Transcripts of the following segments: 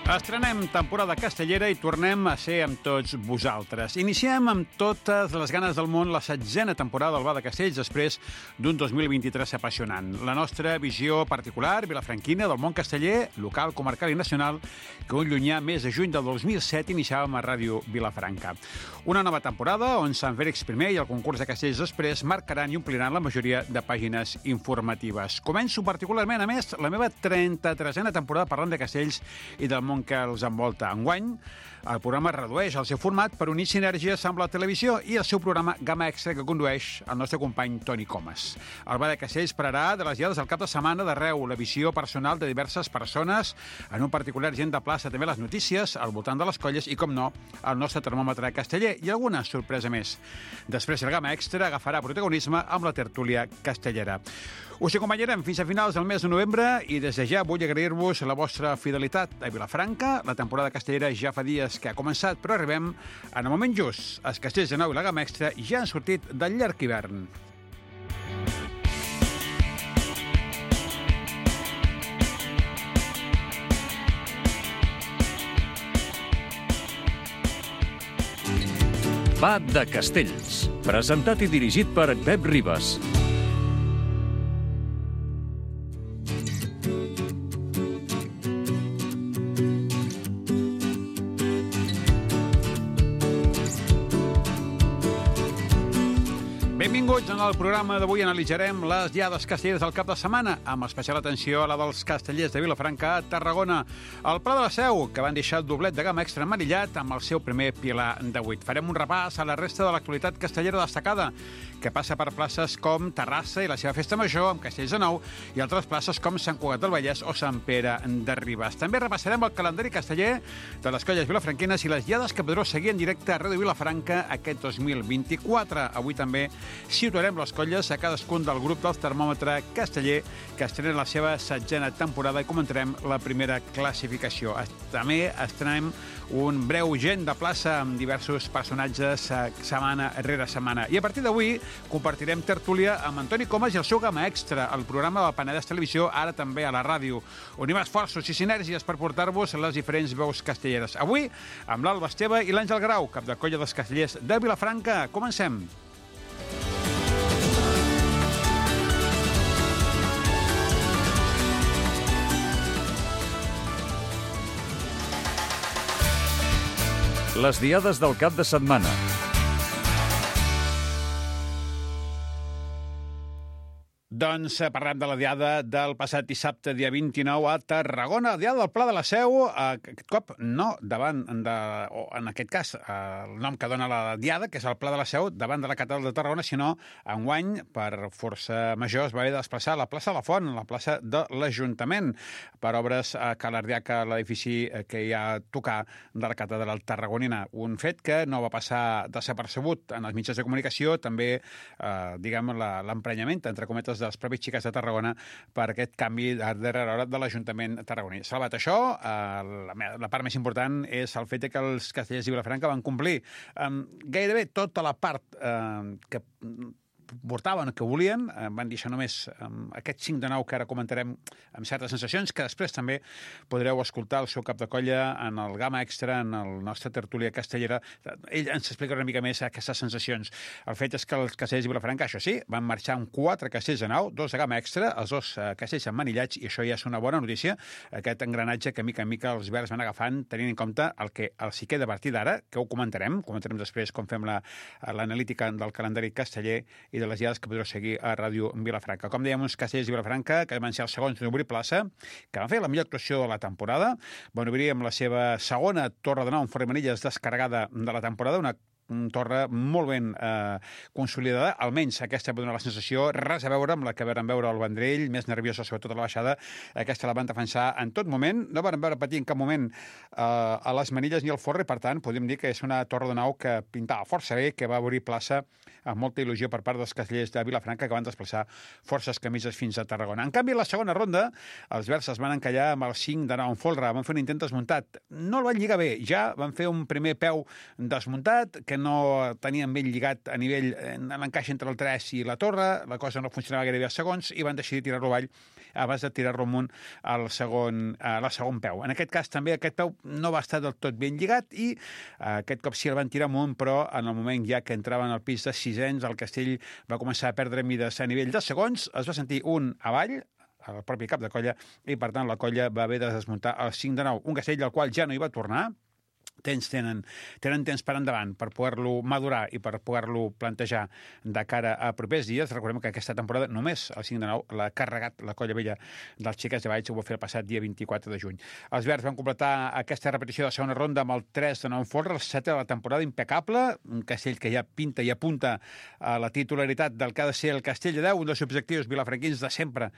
Estrenem temporada castellera i tornem a ser amb tots vosaltres. Iniciem amb totes les ganes del món la 16a temporada del Bar de Castells després d'un 2023 apassionant. La nostra visió particular, vilafranquina, del món casteller, local, comarcal i nacional, que un llunyà mes de juny del 2007 iniciàvem a Ràdio Vilafranca. Una nova temporada on Sant Fèlix I i el concurs de Castells després marcaran i ompliran la majoria de pàgines informatives. Començo particularment, a més, la meva 33a temporada parlant de castells i del món que els envolta. Enguany, el programa redueix el seu format per unir sinergies amb la televisió i el seu programa Gamma Extra que condueix el nostre company Toni Comas. El Bar de Castells pararà de les diades al cap de setmana d'arreu, la visió personal de diverses persones, en un particular gent de plaça també les notícies, al voltant de les colles i, com no, el nostre termòmetre casteller i alguna sorpresa més. Després el Gamma Extra agafarà protagonisme amb la tertúlia castellera. Us acompanyarem fins a finals del mes de novembre i des de ja vull agrair-vos la vostra fidelitat a Vilafranca. La temporada castellera ja fa dies que ha començat, però arribem en el moment just. Els Castells de Nou i la Gamma Extra ja han sortit del llarg hivern. Bar de Castells, presentat i dirigit per Pep Ribas. Benvinguts. En el programa d'avui analitzarem les diades castelleres del cap de setmana, amb especial atenció a la dels castellers de Vilafranca a Tarragona. El Pla de la Seu, que van deixar el doblet de Gamma Extra emmanillat amb el seu primer pilar de 8. Farem un repàs a la resta de l'actualitat castellera destacada, que passa per places com Terrassa i la seva festa major, amb Castells de Nou, i altres places com Sant Cugat del Vallès o Sant Pere de Ribes. També repassarem el calendari casteller de les colles vilafranquines i les diades que podreu seguir en directe a Ràdio Vilafranca aquest 2024. Avui també situarem les colles a cadascun del grup del termòmetre casteller que estrena la seva 16a temporada i comentarem la primera classificació. També estrenem un breu gent de plaça amb diversos personatges setmana rere setmana. I a partir d'avui compartirem tertúlia amb Toni Comas i el seu Gamma Extra, el programa del Penedès Televisió, ara també a la ràdio. Unim esforços i sinergies per portar-vos les diferents veus castelleres. Avui amb l'Alba Esteve i l'Àngel Grau, cap de colla dels castellers de Vilafranca. Comencem. Les diades del cap de setmana. Doncs parlem de la diada del passat dissabte, dia 29, a Tarragona. La diada del Pla de la Seu, aquest cop no davant de, o en aquest cas, el nom que dona la diada, que és el Pla de la Seu, davant de la catedral de Tarragona, sinó enguany, per força major, es va haver de desplaçar a la plaça de la Font, la plaça de l'Ajuntament, per obres que l'ardiaca l'edifici que hi ha a tocar de la catedral tarragonina. Un fet que no va passar desapercebut en els mitjans de comunicació, també, diguem, l'emprenyament, entre cometes, dels propis xiques de Tarragona per aquest canvi de darrera hora de l'Ajuntament tarragoní. Salvat això, la part més important és el fet que els castellers de Vilafranca van complir gairebé tota la part que portaven, que volien, van deixar només aquest 5 de 9 que ara comentarem amb certes sensacions, que després també podreu escoltar el seu cap de colla en el Gamma Extra, en el nostre tertúlia castellera. Ell ens explicarà una mica més aquestes sensacions. El fet és que els castellers de Vilafranca, això sí, van marxar amb 4 castells de 9, 2 de Gamma Extra, els 2 castells emmanillats, i això ja és una bona notícia, aquest engranatge que mica en mica els verds van agafant, tenint en compte el que els hi queda a partir d'ara, que ho comentarem després com fem l'analítica del calendari casteller i de les diades que podreu seguir a Ràdio Vilafranca. Com dèiem, uns castellers de Vilafranca que van ser els segons d'obrir plaça, que van fer la millor actuació de la temporada, van obrir amb la seva segona torre de 9 en Formanilles descarregada de la temporada, una torre molt ben consolidada, almenys aquesta va donar la sensació, res a veure amb la que vam veure al Vendrell, més nerviosa sobretot a la baixada, aquesta la van defensar en tot moment, no van veure patir en cap moment a les manilles ni al forre, per tant, podem dir que és una torre de 9 que pintava força bé, que va obrir plaça amb molta il·lusió per part dels castellers de Vilafranca que van desplaçar forces camises fins a Tarragona. En canvi, a la segona ronda, els verds es van encallar amb el 5 de 9 en folre, van fer un intent desmuntat. No el van lligar bé, ja van fer un primer peu desmuntat, que no tenien ben lligat a nivell en l'encaix entre el 3 i la torre, la cosa no funcionava gairebé a segons i van decidir tirar-lo avall abans de tirar-lo amunt al segon peu. En aquest cas també aquest peu no va estar del tot ben lligat i aquest cop sí el van tirar amunt, però en el moment ja que entraven al pis de sisens el castell va començar a perdre mides a nivell de segons, es va sentir un avall al propi cap de colla i per tant la colla va haver de desmuntar el 5-9, un castell al qual ja no hi va tornar. Tenen temps per endavant per poder-lo madurar i per poder-lo plantejar de cara a propers dies. Recordem que aquesta temporada només el 5-9 l'ha carregat la colla vella dels Xiquets de Valls, ho va fer el passat dia 24 de juny. Els verds van completar aquesta repetició de segona ronda amb el 3-9 en folre, el 7 de la temporada, impecable, un castell que ja pinta i apunta a la titularitat del que ha de ser el Castell de Déu, un dels objectius vilafranquins de sempre,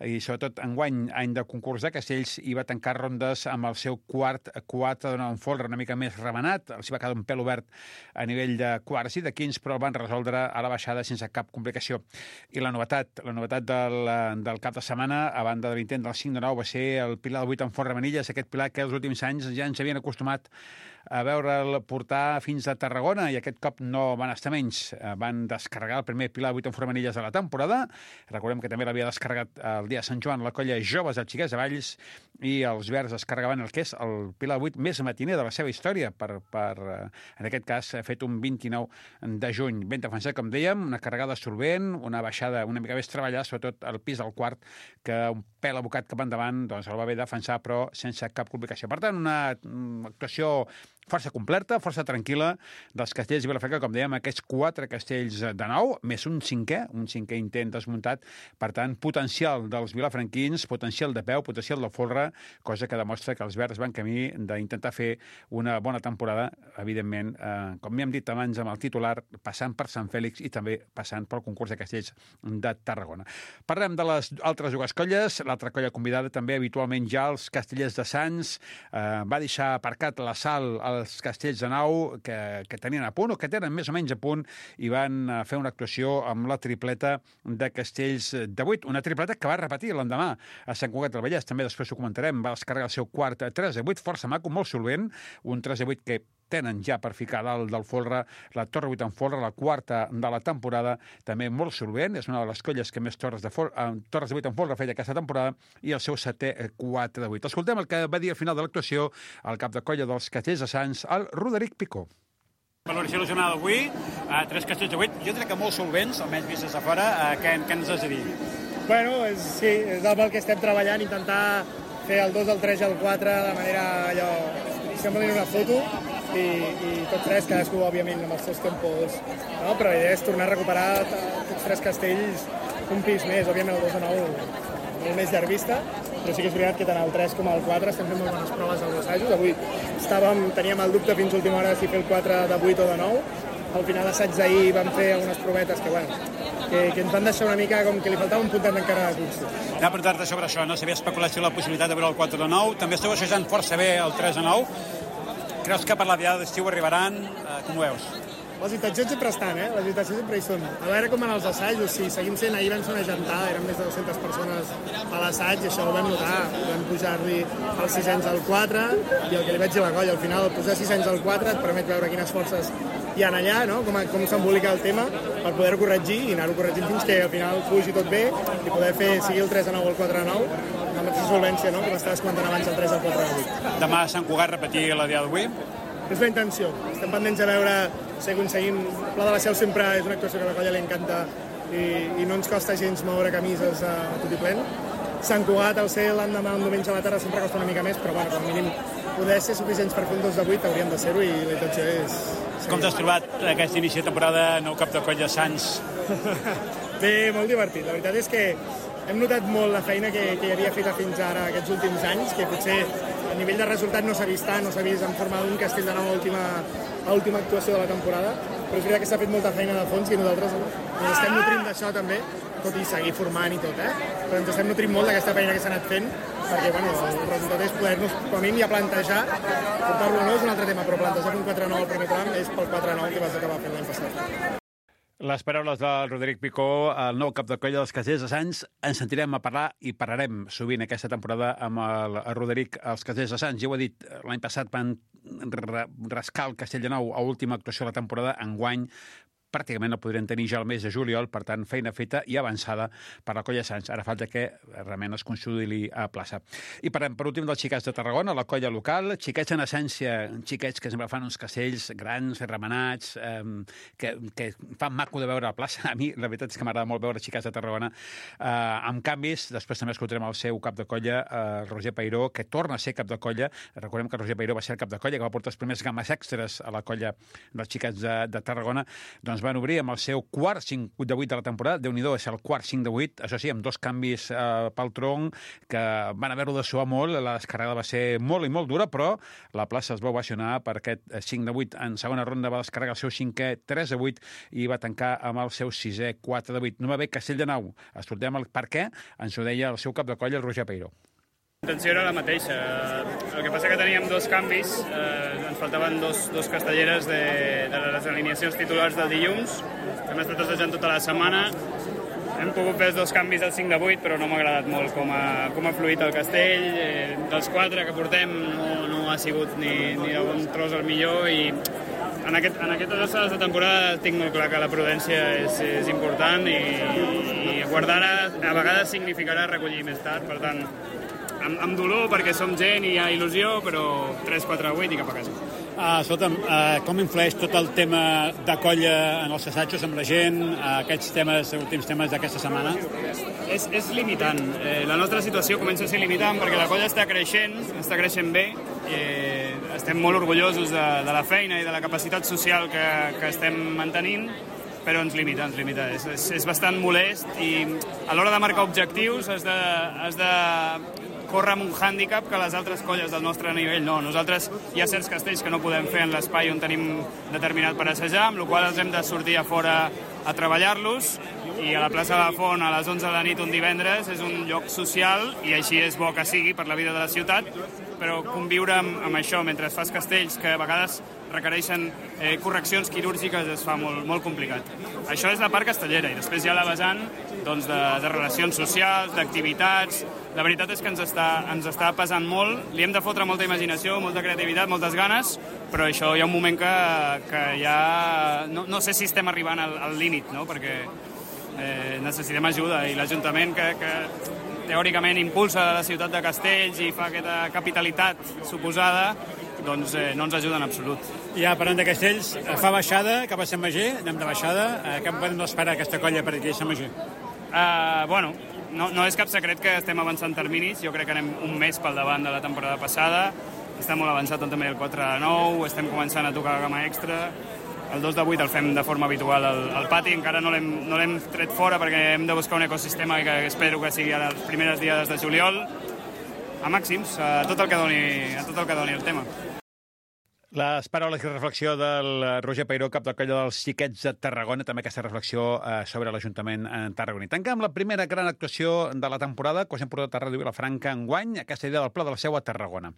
i sobretot enguany, any de concurs de castells, i va tancar rondes amb el seu quart 4-9 en folre, una mica més remenat, els va quedar un pèl obert a nivell de quarts i de quins, però el van resoldre a la baixada sense cap complicació. I la novetat del cap de setmana, a banda de l'intent del 5-9, va ser el pilar del 8 en folre Manilles, aquest pilar que els últims anys ja ens havien acostumat a veure'l portar fins a Tarragona i aquest cop no van estar menys. Van descarregar el primer pilar 8 en folre Manilles de la temporada. Recordem que també l'havia descarregat el dia de Sant Joan la colla Joves dels Xiquets de Valls i els verds descarregaven el que és el pilar 8 més matiner de la seva història en aquest cas, fet un 29 de juny. Ben defensat, com dèiem, una carregada solvent, una baixada una mica més treballada, sobretot al pis del quart, que un pèl abocat cap endavant doncs el va haver de defensar, però sense cap complicació. Per tant, una actuació força completa, força tranquil·la dels castells de Vilafranca, com dèiem, aquests 4 castells de 9, més un cinquè intent desmuntat, per tant, potencial dels vilafranquins, potencial de peu, potencial del folre, cosa que demostra que els verds van camí d'intentar fer una bona temporada, evidentment, com hem dit abans amb el titular, passant per Sant Fèlix i també passant pel concurs de castells de Tarragona. Parlem de les altres dues colles, l'altra colla convidada també habitualment ja els Castellers de Sants, va deixar aparcat la Sal els castells de nau que tenien a punt o que tenen més o menys a punt i van fer una actuació amb la tripleta de castells de 8, una tripleta que va repetir l'endemà a Sant Cugat del Vallès, també després ho comentarem, va descarregar el seu quart 3-8, força maco, molt solvent, un 3-8 que tenen ja per ficar dalt del folre la torre 8 en folre, la quarta de la temporada, també molt solvent, és una de les colles que més torres de 8 en folre feia aquesta temporada, i el seu setè 4-8. Escoltem el que va dir al final de l'actuació el cap de colla dels Castells de Sants, el Roderic Picó. Valoració de la jornada d'avui, 3 castells de 8, jo crec que molt solvents, almenys vist des de fora, què ens has de dir? Bueno, sí, és el que estem treballant, intentar fer el 2, el 3 i el 4 de manera allò, semblin una foto, i tots 3, cadascú, òbviament, amb els seus tempos, no? Però la idea és tornar a recuperar tots 3 castells un pis més, òbviament el 2 de 9 molt més llarvista, però sí que és veritat que tant el 3 com el 4 estem fent molt bones proves als assajos. Avui teníem el dubte fins a última hora si fer el 4 de 8 o de 9. Al final d'assaig d'ahir vam fer algunes provetes que ens van deixar una mica com que li faltava un puntet encara de cursa. Anava a preguntar-te sobre això, no? S'havia especulat si la possibilitat de veure el 4 de 9, també esteu assajant força bé el 3 de 9. Creus que per la diada d'estiu arribaran? Com ho veus? Les intencions sempre estan, les intencions sempre hi són. A veure com van els assajos, si seguim sent, ahir vam ser una gentada, eren més de 200 persones a l'assaig, i això ho vam notar, vam pujar-li els 600 al 4, i el que li vaig dir a la colla, al final posar 600 al 4 et permet veure quines forces hi ha allà, no? com s'embolica el tema, per poder-ho corregir i anar-ho corregint fins que al final fugi tot bé i poder fer, sigui el 3 de 9 o el 4 de 9, amb la mateixa solvència, no? Com estaves comentant abans, el 3 al 4 de 8. Demà a Sant Cugat repetir la diada d'avui? És la intenció. Estem pendents a veure si aconseguim... El Pla de la Seu sempre és una actuació que a la colla li encanta i no ens costa gens moure camises a tot i plen. Sant Cugat, al ser l'endemà un diumenge a la tarda, sempre costa una mica més, però bueno, com a mínim poder ser suficients per fer un 2 de 8 hauríem de ser-ho i la intenció és... Com t'has trobat aquest inici de temporada, nou cap de colla Sants? Bé, molt divertit. La veritat és que hem notat molt la feina que hi havia feta fins ara aquests últims anys, que potser a nivell de resultat no s'ha vist tant, no s'ha vist en forma d'un castell de nou a l'última actuació de la temporada, però és veritat que s'ha fet molta feina de fons i nosaltres ens estem nutrint d'això també, tot i seguir formant i tot, però ens estem nutrint molt d'aquesta feina que s'ha anat fent, perquè bueno, el resultat és poder-nos, com a mínim, ja plantejar, portar-lo o no és un altre tema, però plantejar un 4-9 al primer tram és pel 4-9 que vas acabar fent l'any passat. Les paraules del Roderic Picó, el nou cap de colla dels Castellers de Sants. Ens sentirem a parlar i parlarem sovint aquesta temporada amb el Roderic als Castellers de Sants. Ja ho he dit, l'any passat van rascar el Castell de Nou a última actuació de la temporada. Enguany pràcticament el podrien tenir ja el mes de juliol, per tant, feina feta i avançada per la colla de Sants. Ara falta que realment es consolidi a plaça. I per últim dels xiquets de Tarragona, la colla local, xiquets en essència, xiquets que sempre fan uns castells grans, remenats, que fan maco de veure a la plaça. A mi, la veritat és que m'agrada molt veure xiquets de Tarragona amb canvis. Després també escoltarem el seu cap de colla, Roger Peiró, que torna a ser cap de colla. Recordem que Roger Peiró va ser el cap de colla, que va portar els primers games extras a la colla dels xiquets de Tarragona. Doncs van obrir amb el seu quart 5 de 8 de la temporada. Déu-n'hi-do, és el quart 5 de 8. Això sí, amb 2 canvis pel tronc, que van haver-ho de suar molt. La descarregada va ser molt i molt dura, però la plaça es va ovacionar per aquest 5 de 8. En segona ronda va descarregar el seu 5è 3 de 8 i va tancar amb el seu 6è 4 de 8. No va bé Castell de Nou. Escoltem el per què. Ens ho deia el seu cap de colla, el Roger Peiró. La intenció era la mateixa. El que passa que teníem 2 canvis. Ens faltaven dos castelleres de les alineacions titulars del dilluns. Hem estat assajant tota la setmana. Hem pogut fer els 2 canvis al 5 de 8, però no m'ha agradat molt com ha fluït el castell. Dels 4 que portem no ha sigut ni de bon tros el millor, i en aquestes alçades de temporada tinc molt clar que la prudència és important, i guardar a vegades significarà recollir més tard. Per tant, amb dolor, perquè som gent i hi ha il·lusió, però 3, 4, 8 i cap a casa. Escolta'm, com influeix tot el tema de colla en els assajos amb la gent, aquests últims temes d'aquesta setmana? És limitant. La nostra situació comença a ser limitant perquè la colla està creixent bé. Estem molt orgullosos de la feina i de la capacitat social que estem mantenint, però ens limita. És bastant molest, i a l'hora de marcar objectius has de córrer amb un hàndicap que les altres colles del nostre nivell no. Nosaltres hi ha certs castells que no podem fer en l'espai on tenim determinat per assajar, amb la qual cosa ens hem de sortir a fora a treballar-los, i a la plaça de la Font a les 11 de la nit un divendres és un lloc social, i així és bo que sigui per la vida de la ciutat, però conviure amb això mentre fas castells que a vegades requereixen correccions quirúrgiques es fa molt complicat. Això és la part castellera, i després hi ha la vessant de relacions socials, d'activitats. La veritat és que ens està pesant molt, li hem de fotre molta imaginació, molta creativitat, moltes ganes, però això hi ha un moment que ja no sé si estem arribant al límit, no? Perquè necessitem ajuda, i l'Ajuntament que teòricament impulsa la ciutat de Castells i fa aquesta capitalitat suposada, doncs no ens ajuda en absolut. Ja, parlant de Castells, fa baixada cap a Sant Magí, anem de baixada. Què en podem esperar aquesta colla per aquí a Sant Magí? No és cap secret que estem avançant terminis. Jo crec que anem un mes pel davant de la temporada passada. Està molt avançat també el 4 de 9, estem començant a tocar la gamma extra. El 2 de 8 el fem de forma habitual al pati, encara no l'hem tret fora perquè hem de buscar un ecosistema que espero que sigui a les primeres diades de juliol, a màxims, a tot el que doni el tema. Les paraules i reflexió del Roger Peiró, cap de colla dels xiquets de Tarragona, també aquesta reflexió sobre l'Ajuntament tarragoní. Tanquem la primera gran actuació de la temporada que us hem portat a Ràdio Vilafranca enguany, aquesta idea del Pla de la Seu a Tarragona.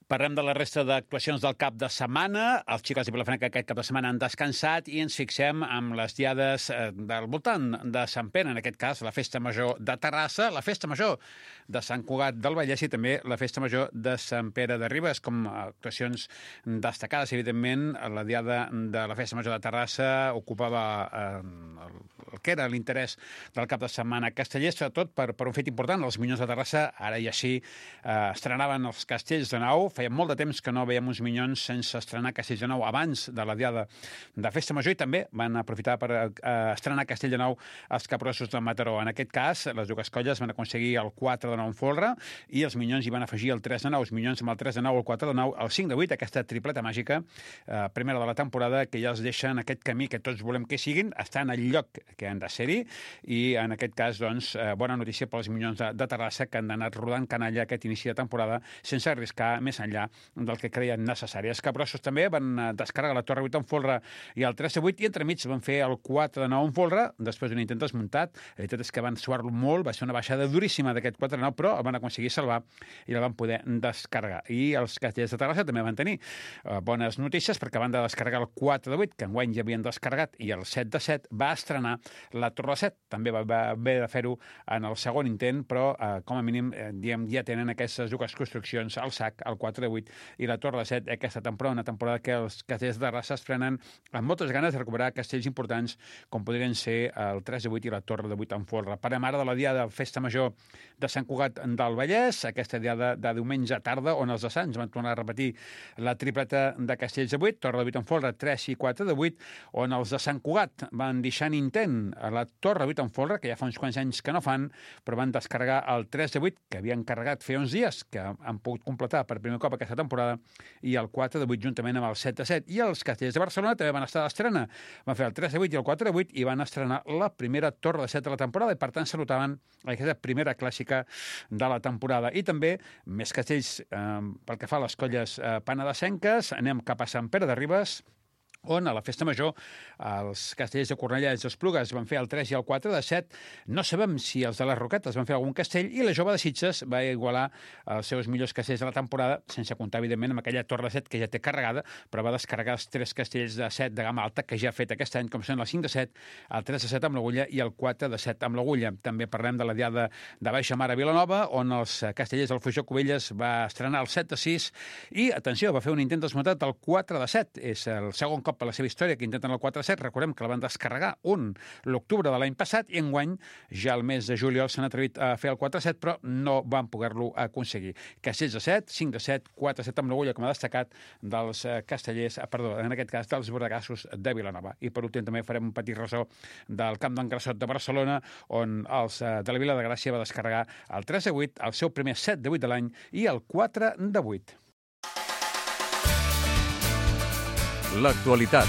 Parlem de la resta d'actuacions del cap de setmana. Els xiquets de Vilafranca aquest cap de setmana han descansat i ens fixem amb les diades del voltant de Sant Pere, en aquest cas la Festa Major de Terrassa, la Festa Major de Sant Cugat del Vallès i també la Festa Major de Sant Pere de Ribes, com actuacions destacades. Evidentment, la diada de la Festa Major de Terrassa ocupava el que era l'interès del cap de setmana casteller, sobretot per un fet important. Els Minyons de Terrassa, ara i així, estrenaven els castells de nou. Feia molt de temps que no veiem uns Minyons sense estrenar Castells de Nou abans de la diada de Festa Major, i també van aprofitar per estrenar Castell de Nou els Capgrossos de Mataró. En aquest cas, les dues colles van aconseguir el 4 de 9 en folre i els Minyons hi van afegir el 3 de 9. Els Minyons amb el 3 de 9, el 4 de 9, el 5 de 8, aquesta tripleta màgica, primera de la temporada, que ja els deixa en aquest camí que tots volem que siguin, estar en el lloc que han de ser-hi, i en aquest cas, doncs, bona notícia pels Minyons de Terrassa, que han anat rodant canalla aquest inici de temporada sense arriscar més enllà del que creien necessari. Els capgrossos també van descarregar la Torre 8 en folre i el 3 de 8 i entremig van fer el 4 de 9 en folre després d'un intent desmuntat. La veritat és que van suar-lo molt, va ser una baixada duríssima d'aquest 4 de 9, però el van aconseguir salvar i el van poder descarregar. I els castellers de Terrassa també van tenir bones notícies perquè van de descarregar el 4 de 8, que enguany ja havien descarregat, i el 7 de 7 va estrenar la Torre de 7. També va haver de fer-ho en el segon intent, però com a mínim ja tenen aquestes dues construccions al sac, el 4 de 8 i la Torre de 7 aquesta temporada, una temporada que els castellers de Terrassa es prenen amb moltes ganes de recuperar castells importants com podrien ser el 3 de 8 i la Torre de 8 en folre. Parlem ara de la diada de Festa Major de Sant Cugat del Vallès, aquesta diada de diumenge a tarda, on els de Sants van tornar a repetir la tripleta de castells de 8, Torre de 8 en folre, 3 i 4 de 8, on els de Sant Cugat van deixar en intent a la Torre de 8 en folre, que ja fa uns quants anys que no fan, però van descarregar el 3 de 8, que havien carregat feia uns dies, que han pogut completar per primer cop aquesta temporada, i el 4 de 8 juntament amb el 7 de 7. I els castellers de Barcelona també van estar d'estrena. Van fer el 3 de 8 i el 4 de 8 i van estrenar la primera Torre de 7 de la temporada i, per tant, salutaven aquesta primera clàssica de la temporada. I també, més castells pel que fa a les colles penedesenques, anem cap a Sant Pere de Ribes, on a la Festa Major els castellers de Cornellà i Esplugues van fer el 3 i el 4 de 7. No sabem si els de les Roquetes van fer algun castell i la Jove de Sitges va igualar els seus millors castells de la temporada, sense comptar, evidentment, amb aquella Torre de 7 que ja té carregada, però va descarregar els 3 castells de 7 de gamma alta que ja ha fet aquest any, com són el 5 de 7, el 3 de 7 amb l'Agulla i el 4 de 7 amb l'Agulla. També parlem de la diada de Baixa Mar a Vilanova, on els castellers del Fujó Cubelles va estrenar el 7 de 6 i, atenció, va fer un intent desmuntat el 4 de 7. És el segon cop per la seva història que intenten el 4-7. Recordem que la van descarregar l'octubre de l'any passat i enguany, ja al mes de juliol, s'han atrevit a fer el 4-7, però no van poder-lo aconseguir. Castells de 7, 5 de 7, 4-7 amb l'Agulla, com ha destacat, dels castellers, en aquest cas, dels bordegassos de Vilanova. I per últim també farem un petit ressò del Camp d'en Grassot de Barcelona, on els de la Vila de Gràcia va descarregar el 3 de 8, el seu primer 7 de 8 de l'any i el 4 de 8. L'actualitat.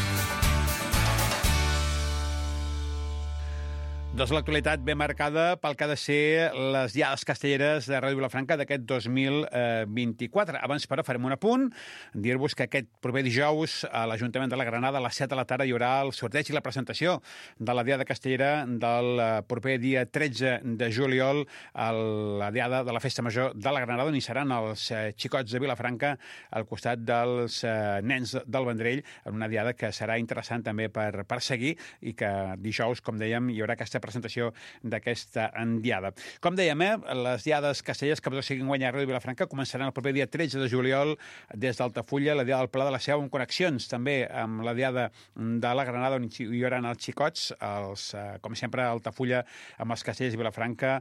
Doncs l'actualitat ben marcada pel que ha de ser les diades castelleres de Ràdio Vilafranca d'aquest 2024. Abans, però, farem un apunt, dir-vos que aquest proper dijous a l'Ajuntament de la Granada a les 7 de la tarda hi haurà el sorteig i la presentació de la diada castellera del proper dia 13 de juliol a la diada de la Festa Major de la Granada, on hi seran els xicots de Vilafranca al costat dels nens del Vendrell, en una diada que serà interessant també per seguir i que dijous, com dèiem, hi haurà aquesta presentació d'aquesta diada. Com dèiem, les diades castellers que podeu seguir enguany a Ràdio Vilafranca començaran el proper dia 13 de juliol des d'Altafulla, la diada del Pla de la Seu, amb connexions també amb la diada de la Granada, on hi haurà els xicots, com sempre, a Altafulla, amb els castellers de Vilafranca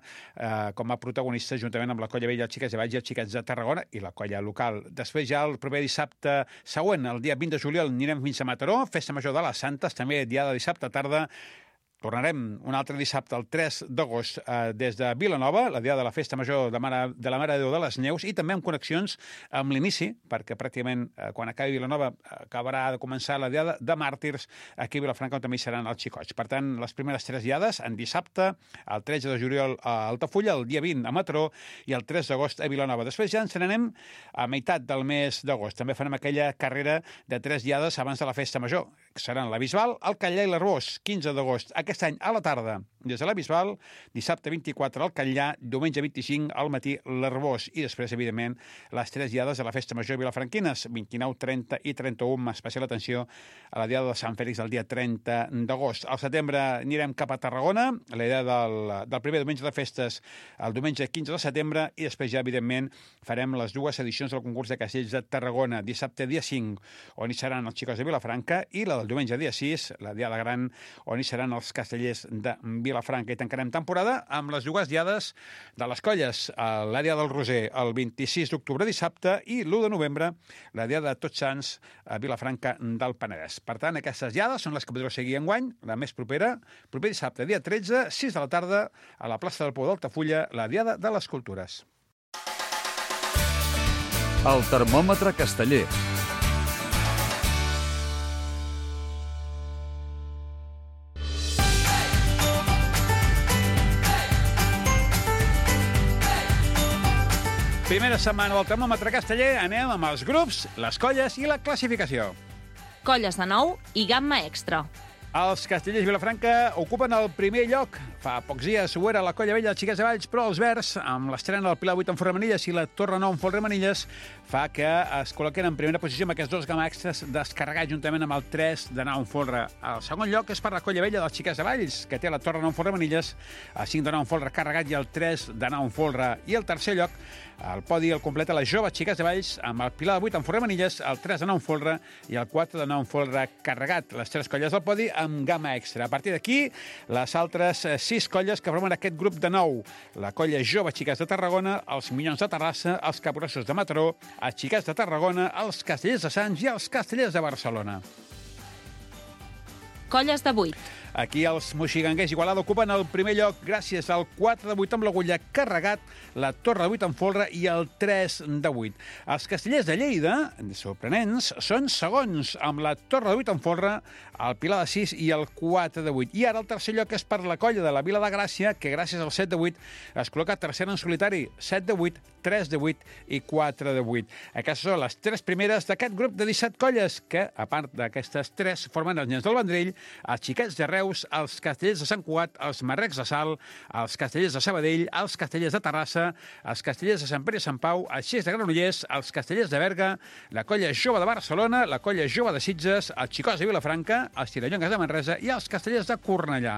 com a protagonistes, juntament amb la colla vella, els xiquets de Valls i els xiquets de Tarragona i la colla local. Després, ja el proper dissabte següent, el dia 20 de juliol, anirem fins a Mataró, Festa Major de les Santes, també diada dissabte tarda. Tornarem un altre dissabte, el 3 d'agost, des de Vilanova, la diada de la Festa Major de la Mare de Déu de les Neus, i també amb connexions amb l'inici, perquè pràcticament quan acabi Vilanova acabarà de començar la diada de Màrtirs aquí a Vilafranca, on també hi seran els xicots. Per tant, les primeres 3 diades, en dissabte, el 13 de juliol a Altafulla, el dia 20 a Mataró i el 3 d'agost a Vilanova. Després ja ens n'anem a meitat del mes d'agost. També farem aquella carrera de 3 diades abans de la Festa Major, que seran la Bisbal, el Catllà i l'Arbós, 15 d'agost. Aquest any a la tarda, des de la Bisbal, dissabte 24 al Catllà, diumenge 25 al matí l'Arbós, i després, evidentment, les 3 diades de la Festa Major vilafranquines, 29, 30 i 31, amb especial atenció a la diada de Sant Fèlix del dia 30 d'agost. Al setembre anirem cap a Tarragona, la idea del primer diumenge de festes, el diumenge 15 de setembre, i després ja, evidentment, farem les 2 edicions del concurs de castells de Tarragona, dissabte dia 5, on hi seran els xicots de Vilafranca, i la del diumenge dia 6, la diada gran, on hi seran els castellers de Vilafranca. I tancarem temporada amb les 2 diades de les colles, la diada del Roser el 26 d'octubre dissabte i l'1 de novembre la diada de Tots Sants a Vilafranca del Penedès. Per tant, aquestes diades són les que podreu seguir enguany, la més propera, proper dissabte, dia 13, 6 de la tarda, a la plaça del Pou d'Altafulla, la diada de les Cultures. El termòmetre casteller. Primera setmana del termòmetre casteller, anem amb els grups, les colles i la classificació. Colles de nou i gamma extra. Els castellers Vilafranca ocupen el primer lloc. Fa pocs dies ho era la Colla Vella de Xiquets de Valls, però els verds, amb l'estrena del Pilar 8 en Folremanilles i la Torre 9 en Folremanilles, fa que es col·loquen en primera posició amb aquests dos gamma extras descarregats juntament amb el 3 de 9 en Folre. El segon lloc és per la Colla Vella dels Xiquets de Valls, que té la Torre 9 en Folremanilles, el 5 de 9 en Folre carregat i el 3 de 9 en Folre. I el tercer lloc, el podi el completa les joves Xiquets de Valls, amb el Pilar 8 en Folremanilles, el 3 de 9 en Folre i el 4 de 9 en Folre carregat. Les tres colles del podi amb gamma extra. A partir d'aquí, les altres 6 colles que formen aquest grup de 9. La colla jove Xiquets de Tarragona, els Minyons de Terrassa, els Capgrossos de Mataró, els Xiquets de Tarragona, els Castellers de Sants i els Castellers de Barcelona. Colles de 8. Aquí els moxiganguers Igualada ocupen el primer lloc gràcies al 4 de 8 amb l'agulla carregat, la Torre de 8 en Folre i el 3 de 8. Els Castellers de Lleida, sorprenents, són segons amb la Torre de 8 en Folre, el Pilar de 6 i el 4 de 8. I ara el tercer lloc és per la colla de la Vila de Gràcia, que gràcies al 7 de 8 es col·loca tercera en solitari, 7 de 8, 3 de 8 i 4 de 8. Aquestes són les 3 primeres d'aquest grup de 17 colles, que, a part d'aquestes 3, formen els Nens del Vendrell, els Xiquets de Reus, els Castellers de Sant Cugat, els Marrecs de Salt, els Castellers de Sabadell, els Castellers de Terrassa, els Castellers de Sant Pere i Sant Pau, els Xics de Granollers, els Castellers de Berga, la colla jove de Barcelona, la colla jove de Sitges, els Xicots de Vilafranca, els Tirallongues de Manresa i els Castellers de Cornellà.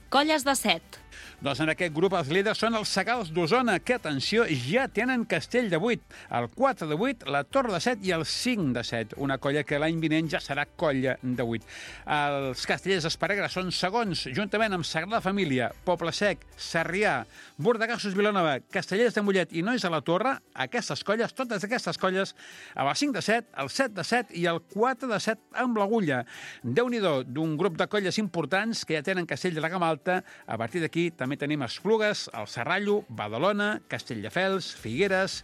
Colles de 7. Doncs en aquest grup els líders són els Segals d'Osona, que, atenció, ja tenen castell de 8, el 4 de 8, la Torre de 7 i el 5 de 7, una colla que l'any vinent ja serà colla de 8. Els Castellers d'Esparreguera són segons, juntament amb Sagrada Família, Poble Sec, Sarrià, Bordegassos Vilanova, Castellers de Mollet i Nois de la Torre, aquestes colles, totes aquestes colles, amb el 5 de 7, el 7 de 7 i el 4 de 7 amb l'agulla. Déu-n'hi-do, d'un grup de colles importants que ja tenen castell de la gamma alta. A partir d'aquí també tenim Esplugues, el Serrallo, Badalona, Castelldefels, Figueres,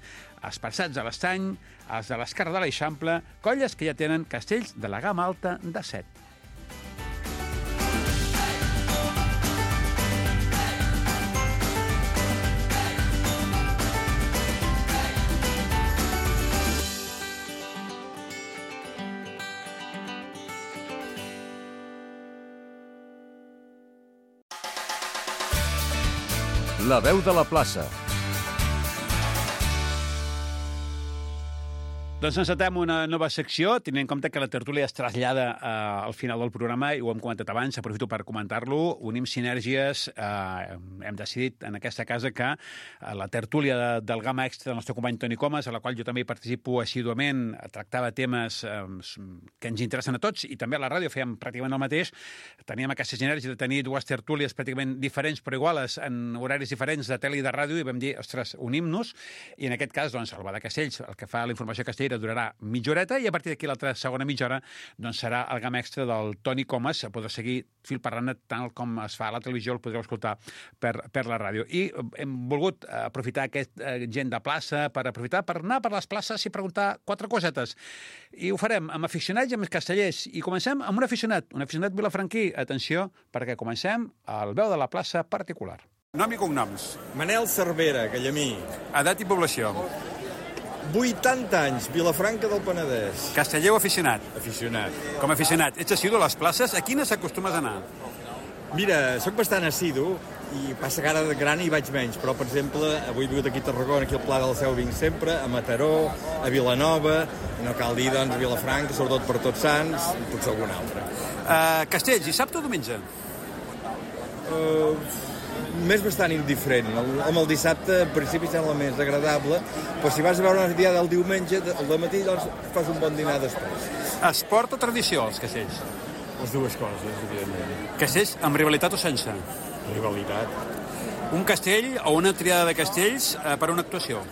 Esparçats de l'Estany, els de l'Esquerra de l'Eixample, colles que ja tenen castells de la gamma alta de 7. La veu de la plaça. Doncs encetem una nova secció, tenint en compte que la tertúlia es trasllada al final del programa, i ho hem comentat abans, aprofito per comentar-lo, unim sinergies, hem decidit en aquesta casa que la tertúlia del gamma extra del nostre company Toni Comas, a la qual jo també hi participo assíduament, tractava temes que ens interessen a tots, i també a la ràdio fèiem pràcticament el mateix, teníem aquesta sinergia de tenir dues tertúlies pràcticament diferents però iguales, en horaris diferents de tele i de ràdio, i vam dir, ostres, unim-nos, i en aquest cas, doncs, el Bar de Castells, el que fa la informació castellera, durarà mitja horeta, i a partir d'aquí l'altra segona mitja hora doncs serà el gamma extra del Toni Comas. Podrà seguir fil per randa tant com es fa a la televisió, el podreu escoltar per la ràdio. I hem volgut aprofitar aquest gent de plaça per anar per les places i preguntar 4 cosetes. I ho farem amb aficionats i amb castellers. I comencem amb un aficionat vilafranquí. Atenció, perquè comencem al veu de la plaça particular. Nom i cognoms. Manel Cervera, Gallamí. Edat i població. 80 anys, Vilafranca del Penedès. Casteller o aficionat? Aficionat. Com a aficionat, ets assidu a les places? A quines acostumes a anar? Mira, sóc bastant assidu i passa que ara de gran hi vaig menys, però, per exemple, avui he vingut aquí a Tarragona, aquí al Pla del Seu vinc sempre, a Mataró, a Vilanova, no cal dir, doncs, a Vilafranca, sobretot per Tots Sants, i potser algun altre. Castells, dissabte o diumenge? M'és bastant indiferent. El dissabte, en principi, sembla més agradable, però si vas a veure una diada del diumenge, al matí, doncs, fas un bon dinar després. Esport o tradició, els castells? Les dues coses, evidentment. Castells amb rivalitat o sense? Rivalitat. Un castell o una triada de castells per a una actuació?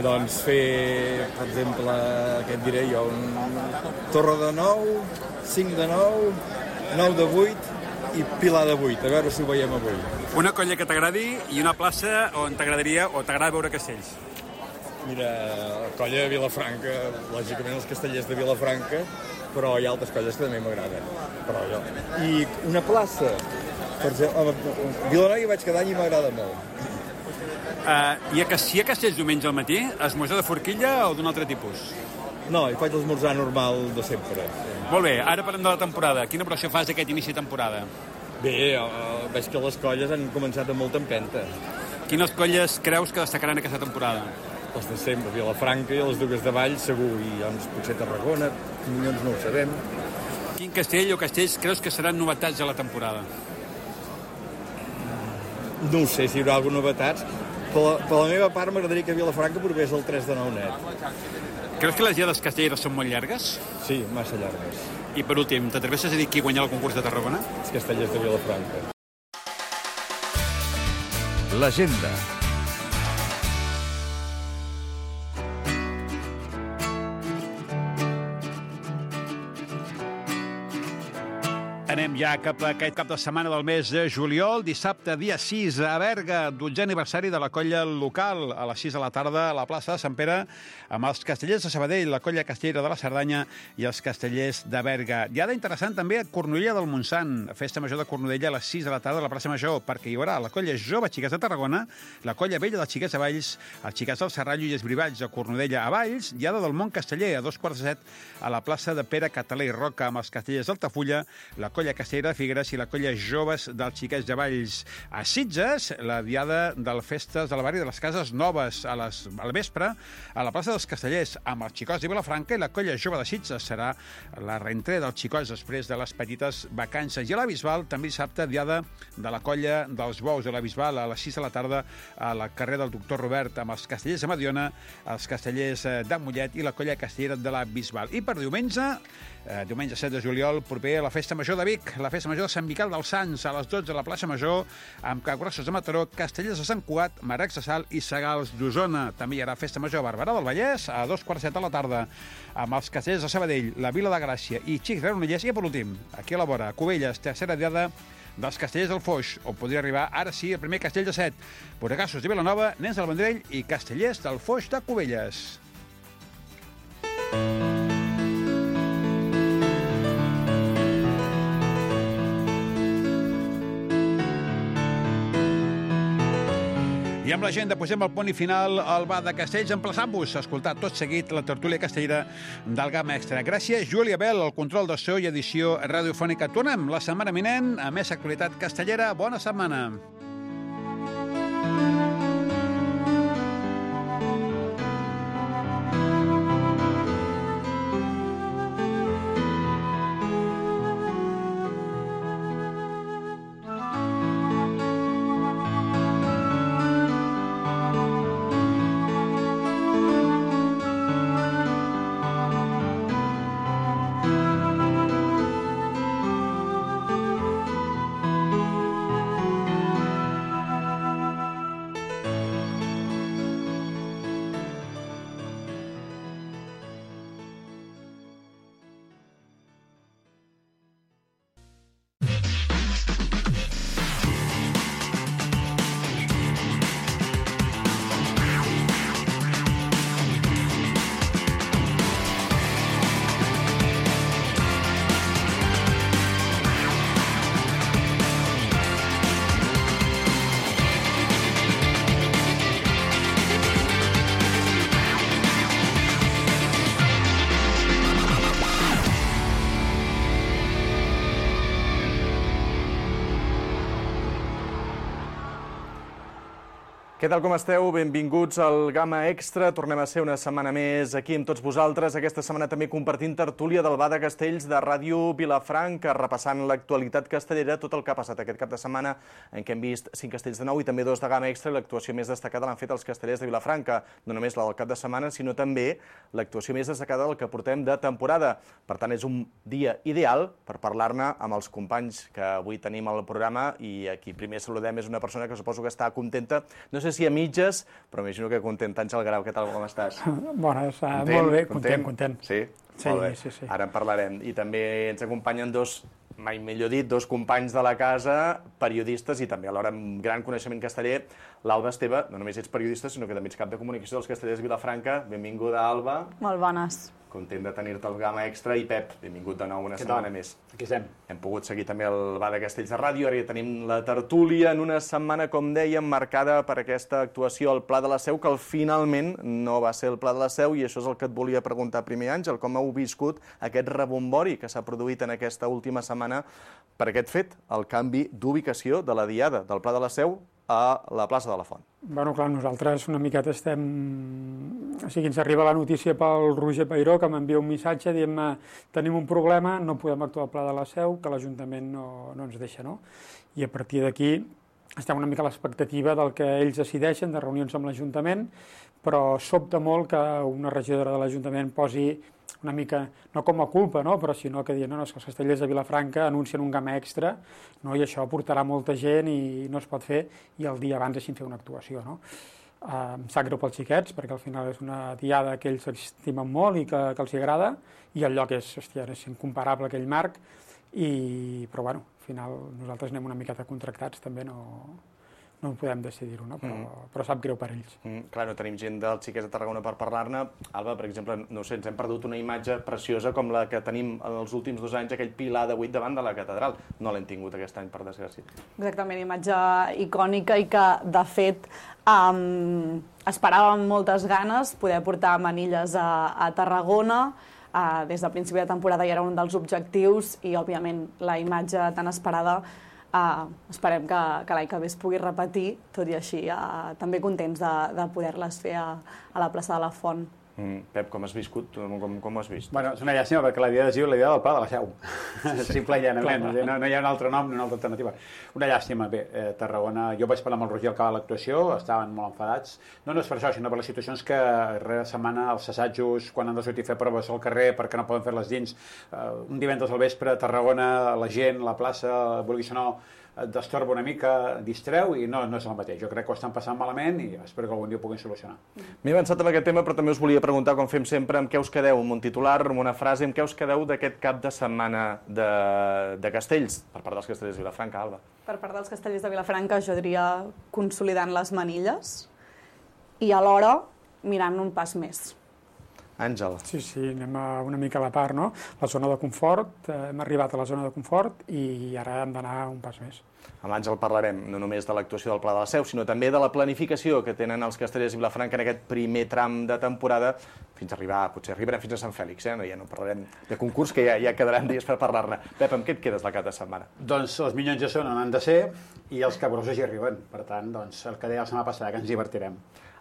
Doncs fer, per exemple, què et diré jo, Torre de 9, 5 de 9, 9 de 8 i Pilar de 8, a veure si ho veiem avui. Una colla que t'agradi i una plaça on t'agradaria o t'agrada veure castells? Mira, la colla de Vilafranca, lògicament els castellers de Vilafranca, però hi ha altres colles que també m'agraden. I una plaça, per exemple, a Vilanova hi vaig cada any i m'agrada molt. Si hi ha castells diumenge al matí, esmorzar de forquilla o d'un altre tipus? No, hi faig l'esmorzar normal de sempre. Molt bé, ara parlem de la temporada. Quina impressió fas d'aquest inici de temporada? Bé, veig que les colles han començat amb molta empenta. Quines colles creus que destacaran aquesta temporada? Les de sempre, Vilafranca i les Dugues de Valls, segur, i doncs potser Tarragona, Minyons no ho sabem. Quin castell o castells creus que seran novetats a la temporada? No ho sé si hi haurà alguna novetats. Per la meva part m'agradaria que Vilafranca provés el 3 de 9 net. Creus que les diades castelleres són molt llargues? Sí, massa llargues. I per últim, t'atreveixes a dir qui guanyarà el concurs de Tarragona? Els castellers de Vilafranca. L'agenda. Anem ja cap a aquest cap de setmana del mes de juliol, dissabte, dia 6, a Berga, 12è aniversari de la colla local, a les 6 de la tarda a la plaça de Sant Pere, amb els castellers de Sabadell, la colla castellera de la Cerdanya i els castellers de Berga. Diada interessant també a Cornudella del Montsant, festa major de Cornudella a les 6 de la tarda a la plaça Major, perquè hi haurà la colla jove Xiquets de Tarragona, la colla vella dels Xiquets de Valls, els Xiquets del Serrallo i els Brivalls a Cornudella a Valls, diada del Mont Casteller a 2:15 a la plaça de Pere Català i Roca amb els castellers d'Altafulla, la colla castellera de Figueres i la colla joves dels Xiquets de Valls. A Sitges, la diada del Festes del Barri de les Cases Noves al vespre a la plaça dels Castellers amb els Xicots de Vilafranca i la colla jove de Sitges. Serà la reentrada dels Xicots després de les petites vacances. I a la Bisbal, també dissabte, diada de la colla dels Bous de la Bisbal a les 6 de la tarda a la carrer del Doctor Robert amb els castellers de Mediona, els castellers de Mollet i la colla castellera de la Bisbal. I per diumenge, diumenge 7 de juliol, proper a la Festa Major de Vic, la Festa Major de Sant Miquel dels Sants, a les 12 a la plaça Major, amb Capgrossos de Mataró, Castellers de Sant Cugat, Maracs de Salt i Sagals d'Osona. També hi haurà Festa Major a Barberà del Vallès, a 2:15 de la tarda, amb els castellers de Sabadell, la Vila de Gràcia i Xics Granollers. I per últim, aquí a la vora, Cubelles, tercera diada dels castellers del Foix, on podria arribar ara sí el primer castell de 7. Boregassos de Vilanova, Nens del Vendrell i castellers del Foix de Cubelles. I amb l'agenda posem el punt i final al bar de Castells, emplaçant-vos a escoltar tot seguit la tertúlia castellera del Gamma Extra. Gràcies, Júlia Bel, el control de so i edició radiofònica. Tornem la setmana vinent a més actualitat castellera. Bona setmana. Què tal, com esteu? Benvinguts al Gamma Extra. Tornem a ser una setmana més aquí amb tots vosaltres. Aquesta setmana també compartint tertúlia del Bar de Castells de Ràdio Vilafranca, repassant l'actualitat castellera, tot el que ha passat aquest cap de setmana, en què hem vist 5 castells de nou i també 2 de Gamma Extra, i l'actuació més destacada l'han fet els castellers de Vilafranca. No només la del cap de setmana, sinó també l'actuació més destacada del que portem de temporada. Per tant, és un dia ideal per parlar-ne amb els companys que avui tenim al programa, i aquí primer saludem és una persona que suposo que està contenta, no sé si a mitges, però m'imagino que content. Àngel Grau, què tal, com estàs? Bones, molt bé, content. Sí? Molt bé. Sí. Ara en parlarem. I també ens acompanyen dos, mai millor dit, dos companys de la casa, periodistes i també alhora amb gran coneixement casteller, l'Alba Esteve. No només ets periodista, sinó que també ets cap de comunicació dels castellers de Vilafranca. Benvinguda, Alba. Molt bones. content de tenir-te al Gamma Extra. I Pep, benvingut de nou una setmana més. Aquí estem. Hem pogut seguir també el Bar de Castells de Ràdio, ara ja tenim la tertúlia en una setmana, com dèiem, marcada per aquesta actuació al Pla de la Seu, que finalment no va ser el Pla de la Seu, i això és el que et volia preguntar primer, Àngel, com heu viscut aquest rebombori que s'ha produït en aquesta última setmana per aquest fet, el canvi d'ubicació de la diada del Pla de la Seu a la plaça de la Font. Bueno, clar, nosaltres una miqueta estem... O sigui, ens arriba la notícia pel Roger Peiró, que m'envia un missatge dient-me tenim un problema, no podem actuar al Pla de la Seu, que l'Ajuntament no ens deixa, no? I a partir d'aquí estem una mica a l'expectativa del que ells decideixen, de reunions amb l'Ajuntament, però sobta molt que una regidora de l'Ajuntament posi una mica, no com a culpa, no? Però sinó que diuen, no, és que els castellers de Vilafranca anuncien un Gamma Extra, no? I això portarà molta gent i no es pot fer, i el dia abans deixin fer una actuació, no? Em sap greu pels xiquets, perquè al final és una diada que ells estimen molt i que els agrada, i el lloc és, hòstia, és incomparable aquell marc, però bueno, al final nosaltres anem una miqueta contractats, també no podem decidir-ho, no? Però sap greu per ells. Clar, no tenim gent dels xiquets de Tarragona per parlar-ne. Alba, per exemple, no sé, ens hem perdut una imatge preciosa com la que tenim els últims 2 anys, aquell pilar de 8 davant de la catedral. No l'hem tingut aquest any, per desgràcia. Exactament, imatge icònica i que, de fet, esperàvem moltes ganes poder portar manilles a Tarragona. Des del principi de temporada ja era un dels objectius i, òbviament, la imatge tan esperada esperem que l'any que ve es pugui repetir, tot i així també contents de poder-les fer a la plaça de la Font. Pep, com has viscut? Com ho has vist? Bueno, és una llàstima perquè la diada es diu la diada del Pla de la Seu. Simple i llanament. No hi ha un altre nom ni una altra alternativa. Una llàstima. Bé, Tarragona... Jo vaig parlar amb el Roger al acabar l'actuació, estaven molt enfadats. No és per això, sinó per les situacions que darrere setmana els assajos, quan han de sortir a fer proves al carrer perquè no poden fer-les dins, un divendres al vespre a Tarragona, la gent, la plaça, vulguis o no, et destorba una mica, distreu i no és el mateix. Jo crec que ho estan passant malament i espero que algun dia ho puguin solucionar. M'he avançat amb aquest tema, però també us volia preguntar, com fem sempre, amb què us quedeu, amb un titular, amb una frase, amb què us quedeu d'aquest cap de setmana de castells, per part dels castellers de Vilafranca, Alba? Per part dels castellers de Vilafranca, jo diria consolidant les manilles i alhora mirant un pas més. Àngel. Sí, anem una mica a la part, no? La zona de confort, hem arribat a la zona de confort i ara hem d'anar un pas més. Amb Àngel parlarem no només de l'actuació del Pla de la Seu, sinó també de la planificació que tenen els castellers de Vilafranca en aquest primer tram de temporada, fins a arribar, potser arribarem fins a Sant Fèlix, ja no parlarem de concurs, que ja quedaran dies per parlar-ne. Pep, amb què et quedes la cap de setmana? Doncs els minyons ja són on han de ser i els cabrosos hi arriben. Per tant, doncs, el que deia la setmana passada, que ens divertirem.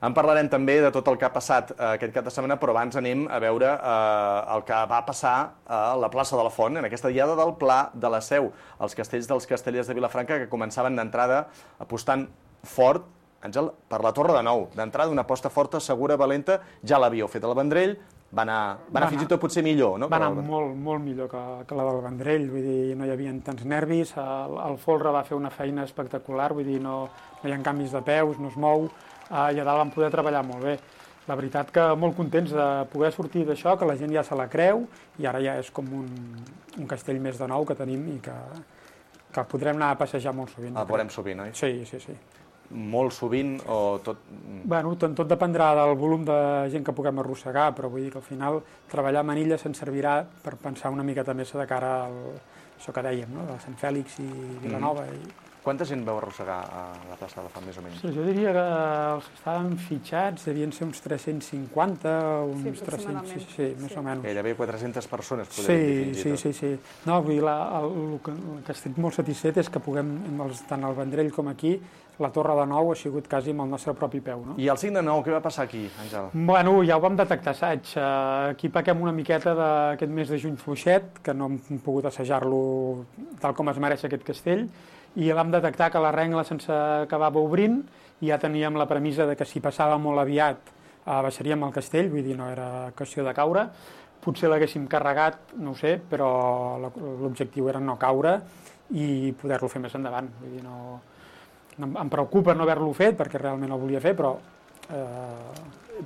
En parlarem també de tot el que ha passat aquest cap de setmana, però abans anem a veure el que va passar a la plaça de la Font, en aquesta diada del Pla de la Seu. Els castells dels castellers de Vilafranca que començaven d'entrada apostant fort, Àngel, per la Torre de Nou. D'entrada, una aposta forta, segura, valenta, ja l'havíeu fet al Vendrell, va anar fins i tot potser millor, no? Va anar molt millor que la del Vendrell, vull dir, no hi havia tants nervis, el folre va fer una feina espectacular, vull dir, no hi ha canvis de peus, no es mou, i a dalt vam poder treballar molt bé. La veritat que molt contents de poder sortir d'això, que la gent ja se la creu, i ara ja és com un castell més de nou que tenim i que podrem anar a passejar molt sovint. El veurem sovint, oi? Sí. Molt sovint o tot? Bueno, tot dependrà del volum de gent que puguem arrossegar, però vull dir que al final treballar a Manilles ens servirà per pensar una miqueta més de cara a això que dèiem, no? De Sant Fèlix i Vilanova. Quanta gent veu arrossegar a la plaça de la Font, més o menys? Sí, jo diria que els que estaven fitxats devien ser uns 350, uns 300, sí, més o menys. Gairebé 400 persones, podríem dir. Sí. No, vull dir, el que estic molt satisfet és que puguem, tant al Vendrell com aquí, la Torre de Nou ha sigut quasi amb el nostre propi peu, no? I el 5 de 9, què va passar aquí, Àngel? Bueno, ja ho vam detectar assaig. Aquí pequem una miqueta d'aquest mes de juny fluixet, que no hem pogut assajar-lo tal com es mereix aquest castell, i vam detectar que la rengla se'ns acabava obrint i ja teníem la premissa de que si passava molt aviat baixaríem el castell, vull dir, no era qüestió de caure. Potser l'haguéssim carregat, no ho sé, però l'objectiu era no caure i poder-lo fer més endavant. Vull dir, em preocupa no haver-lo fet, perquè realment ho volia fer, però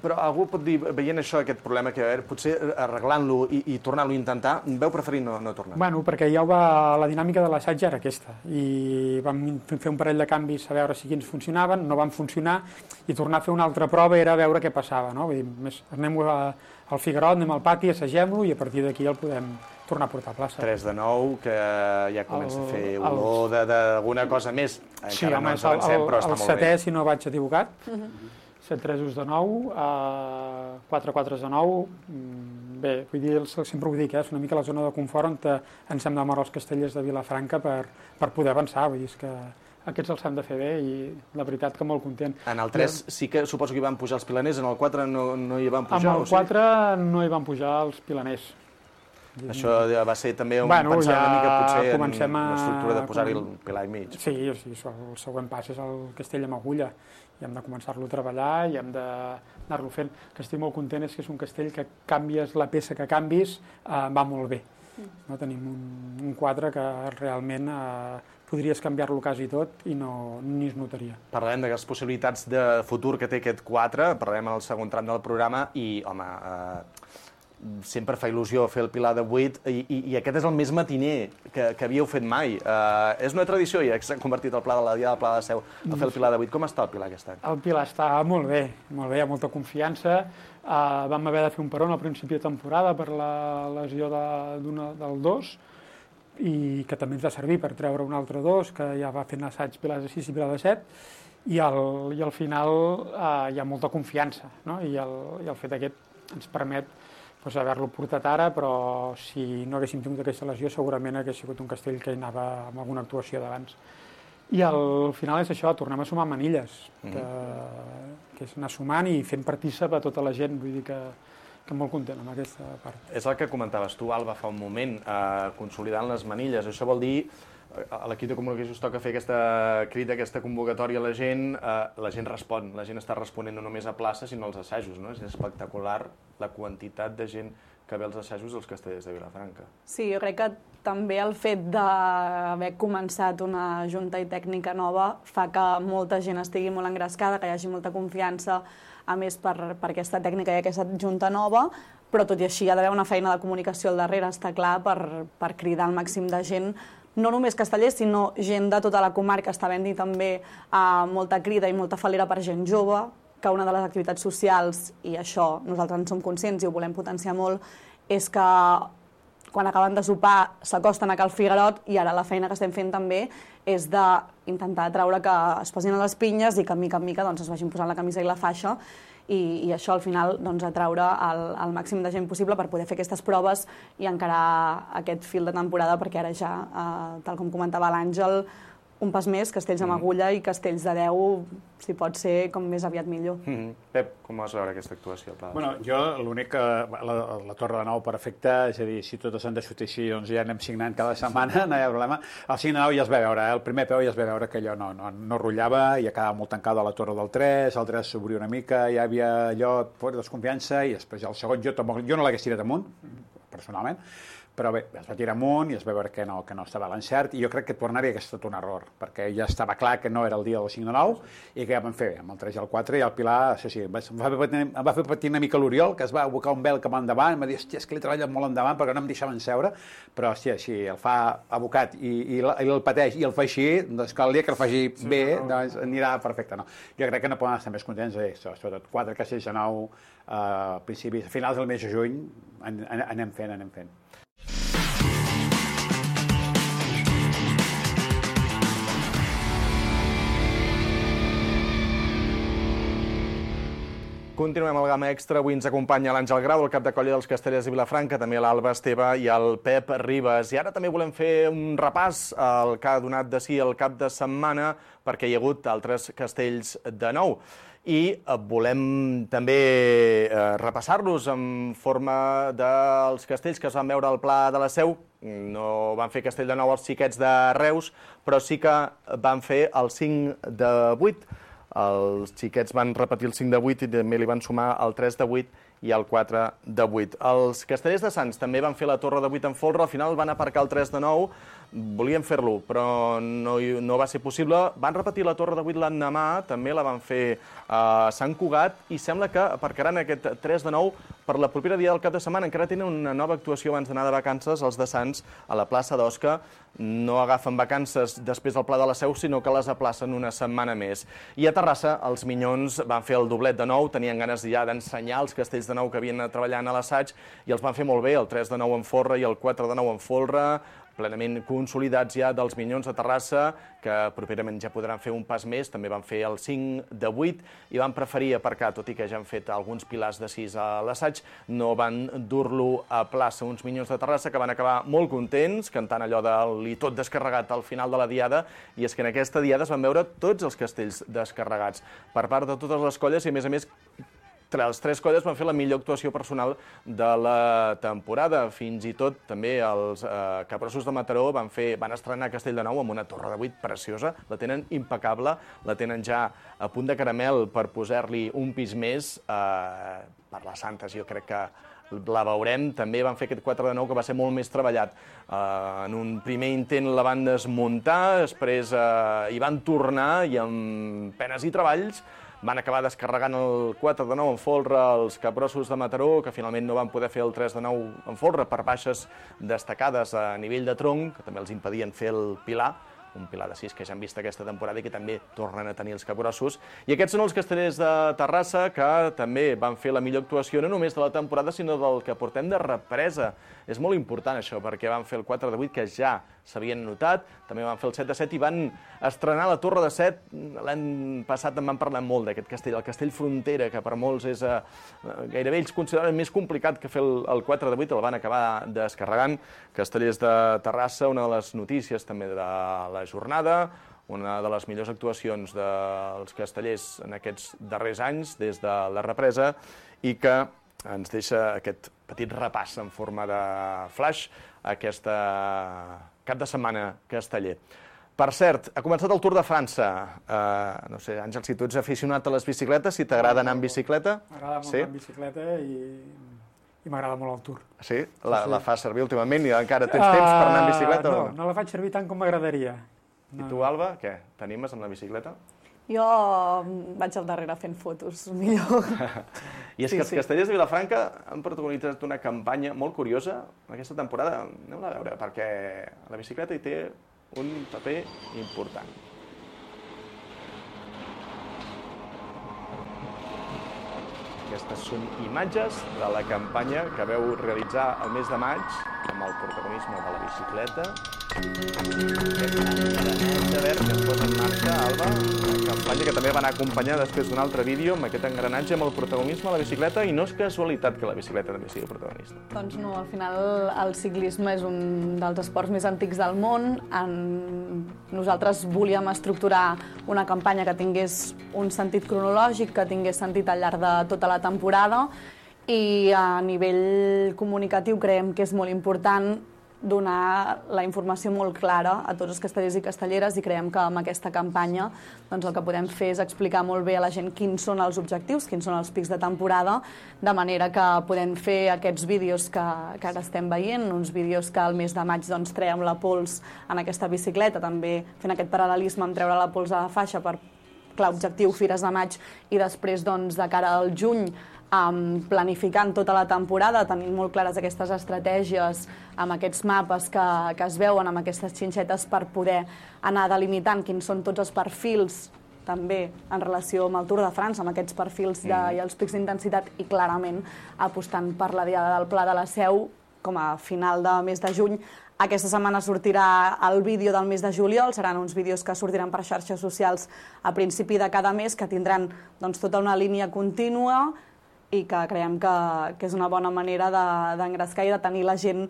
Però algú pot dir, veient això, aquest problema que potser arreglant-lo i tornant-lo a intentar, veu preferir no tornar? Bueno, perquè la dinàmica de l'assaig era aquesta, i vam fer un parell de canvis a veure si quins funcionaven, no van funcionar, i tornar a fer una altra prova era veure què passava, no? Vull dir, anem al Figuerot, anem al pati, assagem-lo, i a partir d'aquí el podem tornar a portar a plaça. 3 de 9, que ja comença a fer olor d'alguna cosa més. Encara no ens avancem, però està molt bé. El setè, si no vaig equivocat, 7 3 de 9, 4 4 de 9, bé, vull dir, sempre ho dic, és una mica la zona de confort on ens hem de moure els castellers de Vilafranca per poder avançar, vull dir, que aquests els hem de fer bé i la veritat que molt content. En el 3 sí que suposo que hi van pujar els pilaners, en el 4 no hi van pujar? En el 4 no hi van pujar els pilaners. Això va ser també pensar una mica potser en l'estructura de posar-hi el pilar i mig. Sí, el següent pas és el castell amb agulla, i hem de començar-lo a treballar i hem d'anar-lo fent. El que estic molt content és que és un castell que canvies la peça que canvis, va molt bé. Tenim un quadre que realment podries canviar-lo quasi tot i ni es notaria. Parlarem de les possibilitats de futur que té aquest 4, parlarem en el segon tram del programa i, home, sempre fa il·lusió fer el pilar de 8 i aquest és el més matiner que havíeu fet mai. És una tradició i s'ha convertit el pla de la Diada del Pla de la Seu a fer el pilar de 8. Com està el pilar aquest any? El pilar està molt bé, hi ha molta confiança. Vam haver de fer un peron al principi de temporada per la lesió del 2 i que també ens va servir per treure un altre 2 que ja va fent assaig pilar de 6 i pilar de 7 i al final hi ha molta confiança, no? I el fet aquest ens permet haver-lo portat ara, però si no haguéssim tingut aquesta lesió segurament hagués sigut un castell que hi anava amb alguna actuació d'abans. I al final és això, tornem a sumar manilles, que és anar sumant i fent partícip a tota la gent, vull dir que molt content amb aquesta part. És el que comentaves tu, Alba, fa un moment, consolidant les manilles. Això vol dir, a l'equip de comunicació us toca fer aquesta crida, aquesta convocatòria a la gent respon, la gent està responent no només a plaça, sinó als assajos, no? És espectacular la quantitat de gent que ve als assajos dels castellers de Vilafranca. Sí, jo crec que també el fet d'haver començat una junta i tècnica nova fa que molta gent estigui molt engrescada, que hi hagi molta confiança, a més per aquesta tècnica i aquesta junta nova, però tot i així hi ha d'haver una feina de comunicació al darrere, està clar, per cridar al màxim de gent, no només castellers, sinó gent de tota la comarca. Està havent-hi també molta crida i molta falera per gent jove, que una de les activitats socials, i això nosaltres en som conscients i ho volem potenciar molt, és que quan acaben de sopar s'acosten a Cal Figuerot i ara la feina que estem fent també és d'intentar atraure que es posin a les pinyes i que mica en mica es vagin posant la camisa i la faixa i això al final atraure el màxim de gent possible per poder fer aquestes proves i encarar aquest fil de temporada perquè ara ja, tal com comentava l'Àngel, un pas més, castells amb agulla i castells de 10, si pot ser com més aviat millor. Pep, com vas veure aquesta actuació? Bueno, jo l'únic que la Torre de Nou perfecta, és a dir, si totes han de sortir així, doncs ja anem signant cada setmana, no hi ha problema. El 5 de 9 ja es va veure, el primer peu ja es va veure que allò no rotllava, ja quedava molt tancada la Torre del 3, el 3 s'obria una mica, ja havia allò per desconfiança i després el segon jo no l'hagués tirat amunt, personalment, però bé, es va tirar amunt i es va veure que no estava a l'encert i jo crec que tornar-hi hagués estat un error, perquè ja estava clar que no era el dia del 5 de 9 i que ja vam fer amb el 3 i el 4 i el Pilar, això sí, em va fer patir una mica l'Oriol, que es va abocar un vel cap endavant, em va dir, hòstia, és que l'he treballat molt endavant perquè no em deixaven seure, però hòstia, si el fa abocat i el pateix i el fa així, doncs que el dia que el faci bé, doncs anirà perfecte, no? Jo crec que no poden estar més contents, sobretot 4 castells de 9 a principis, a finals del mes de juny, anem fent. Continuem al Gamma Extra. Avui ens acompanya l'Àngel Grau, el cap de colla dels Castellers de Vilafranca, també l'Alba Esteve i el Pep Ribas. I ara també volem fer un repàs al que ha donat de si el cap de setmana, perquè hi ha hagut altres castells de nou. I volem també repassar-los en forma dels castells que es van veure al Pla de la Seu. No van fer castell de nou els xiquets de Reus, però sí que van fer el 5 de 8. Els xiquets van repetir el 5 de 8 i també li van sumar el 3 de 8 i el 4 de 8. Els Castellers de Sants també van fer la torre de 8 en folre, al final van aparcar el 3 de 9, volien fer-lo, però no va ser possible. Van repetir la torre de 8 l'endemà, també la van fer a Sant Cugat, i sembla que aparcaran aquest 3 de 9 per la propera dia del cap de setmana. Encara tenen una nova actuació abans d'anar de vacances, els de Sants, a la plaça d'Osca. No agafen vacances després del Pla de la Seu, sinó que les aplacen una setmana més. I a Terrassa, els Minyons van fer el doblet de 9, tenien ganes ja d'ensenyar els castells de 9 que havien anat treballant a l'assaig, i els van fer molt bé, el 3 de 9 en folre i el 4 de 9 en folre, plenament consolidats ja dels Minyons de Terrassa, que properament ja podran fer un pas més. També van fer el 5 de 8 i van preferir aparcar, tot i que ja han fet alguns pilars de 6 a l'assaig, no van dur-lo a plaça. Uns Minyons de Terrassa que van acabar molt contents, cantant allò del i tot descarregat al final de la diada, i és que en aquesta diada es van veure tots els castells descarregats per part de totes les colles, i a més, les 3 colles van fer la millor actuació personal de la temporada. Fins i tot també els Capgrossos de Mataró van estrenar Castell de Nou amb una torre de 8 preciosa. La tenen impecable, la tenen ja a punt de caramel per posar-li un pis més per les Santes. Jo crec que la veurem. També van fer aquest 4 de 9 que va ser molt més treballat. En un primer intent la van desmuntar, després hi van tornar i amb penes i treballs van acabar descarregant el 4 de 9 en folre els Capgrossos de Mataró, que finalment no van poder fer el 3 de 9 en folre per baixes destacades a nivell de tronc, que també els impedien fer el pilar, un pilar de 6 que ja han vist aquesta temporada i que també tornen a tenir els Capgrossos. I aquests són els Castellers de Terrassa, que també van fer la millor actuació no només de la temporada, sinó del que portem de represa. És molt important això, perquè van fer el 4 de 8, que ja s'havien notat, també van fer el 7 de 7 i van estrenar la torre de 7. L'any passat en van parlar molt d'aquest castell, el castell Frontera, que per molts és gairebé ells consideren més complicat que fer el 4 de 8, el van acabar descarregant. Castellers de Terrassa, una de les notícies també de la jornada, una de les millors actuacions dels castellers en aquests darrers anys, des de la represa, i que ens deixa aquest petit repàs en forma de flash aquesta cap de setmana casteller. Per cert, ha començat el Tour de França. No sé, Àngel, si tu ets aficionat a les bicicletes, si t'agrada anar en bicicleta? M'agrada molt anar en bicicleta i m'agrada molt el Tour. Sí? La fas servir últimament i encara tens temps per anar en bicicleta? No la faig servir tant com m'agradaria. I tu, Alba, què? T'animes amb la bicicleta? Jo vaig al darrere fent fotos, millor. I és que els castellers de Vilafranca han protagonitzat una campanya molt curiosa aquesta temporada. Anem-la a veure, perquè la bicicleta hi té un paper important. Aquestes són imatges de la campanya que veu realitzar el mes de maig amb el protagonisme de la bicicleta. Aquest engranatge verd que es posa en marxa, Alba, una campanya que també va anar acompanyada després d'un altre vídeo amb aquest engranatge amb el protagonisme de la bicicleta, i no és casualitat que la bicicleta també sigui protagonista. Doncs no, al final el ciclisme és un dels esports més antics del món. Nosaltres volíem estructurar una campanya que tingués un sentit cronològic, que tingués sentit al llarg de tota la temporada, i a nivell comunicatiu creiem que és molt important donar la informació molt clara a tots els castellers i castelleres, i creiem que amb aquesta campanya el que podem fer és explicar molt bé a la gent quins són els objectius, quins són els pics de temporada, de manera que podem fer aquests vídeos que ara estem veient, uns vídeos que al mes de maig traiem la pols en aquesta bicicleta, també fent aquest paral·lelisme amb treure la pols a la faixa per clar objectiu Fires de Maig, i després de cara al juny planificant tota la temporada, tenint molt clares aquestes estratègies amb aquests mapes que es veuen, amb aquestes xinxetes, per poder anar delimitant quins són tots els perfils, també en relació amb el Tour de França, amb aquests perfils i els pics d'intensitat, i clarament apostant per la diada del Pla de la Seu com a final de mes de juny. Aquesta setmana sortirà el vídeo del mes de juliol, seran uns vídeos que sortiran per xarxes socials a principi de cada mes, que tindran tota una línia contínua, i que creiem que és una bona manera d'engrescar i de tenir la gent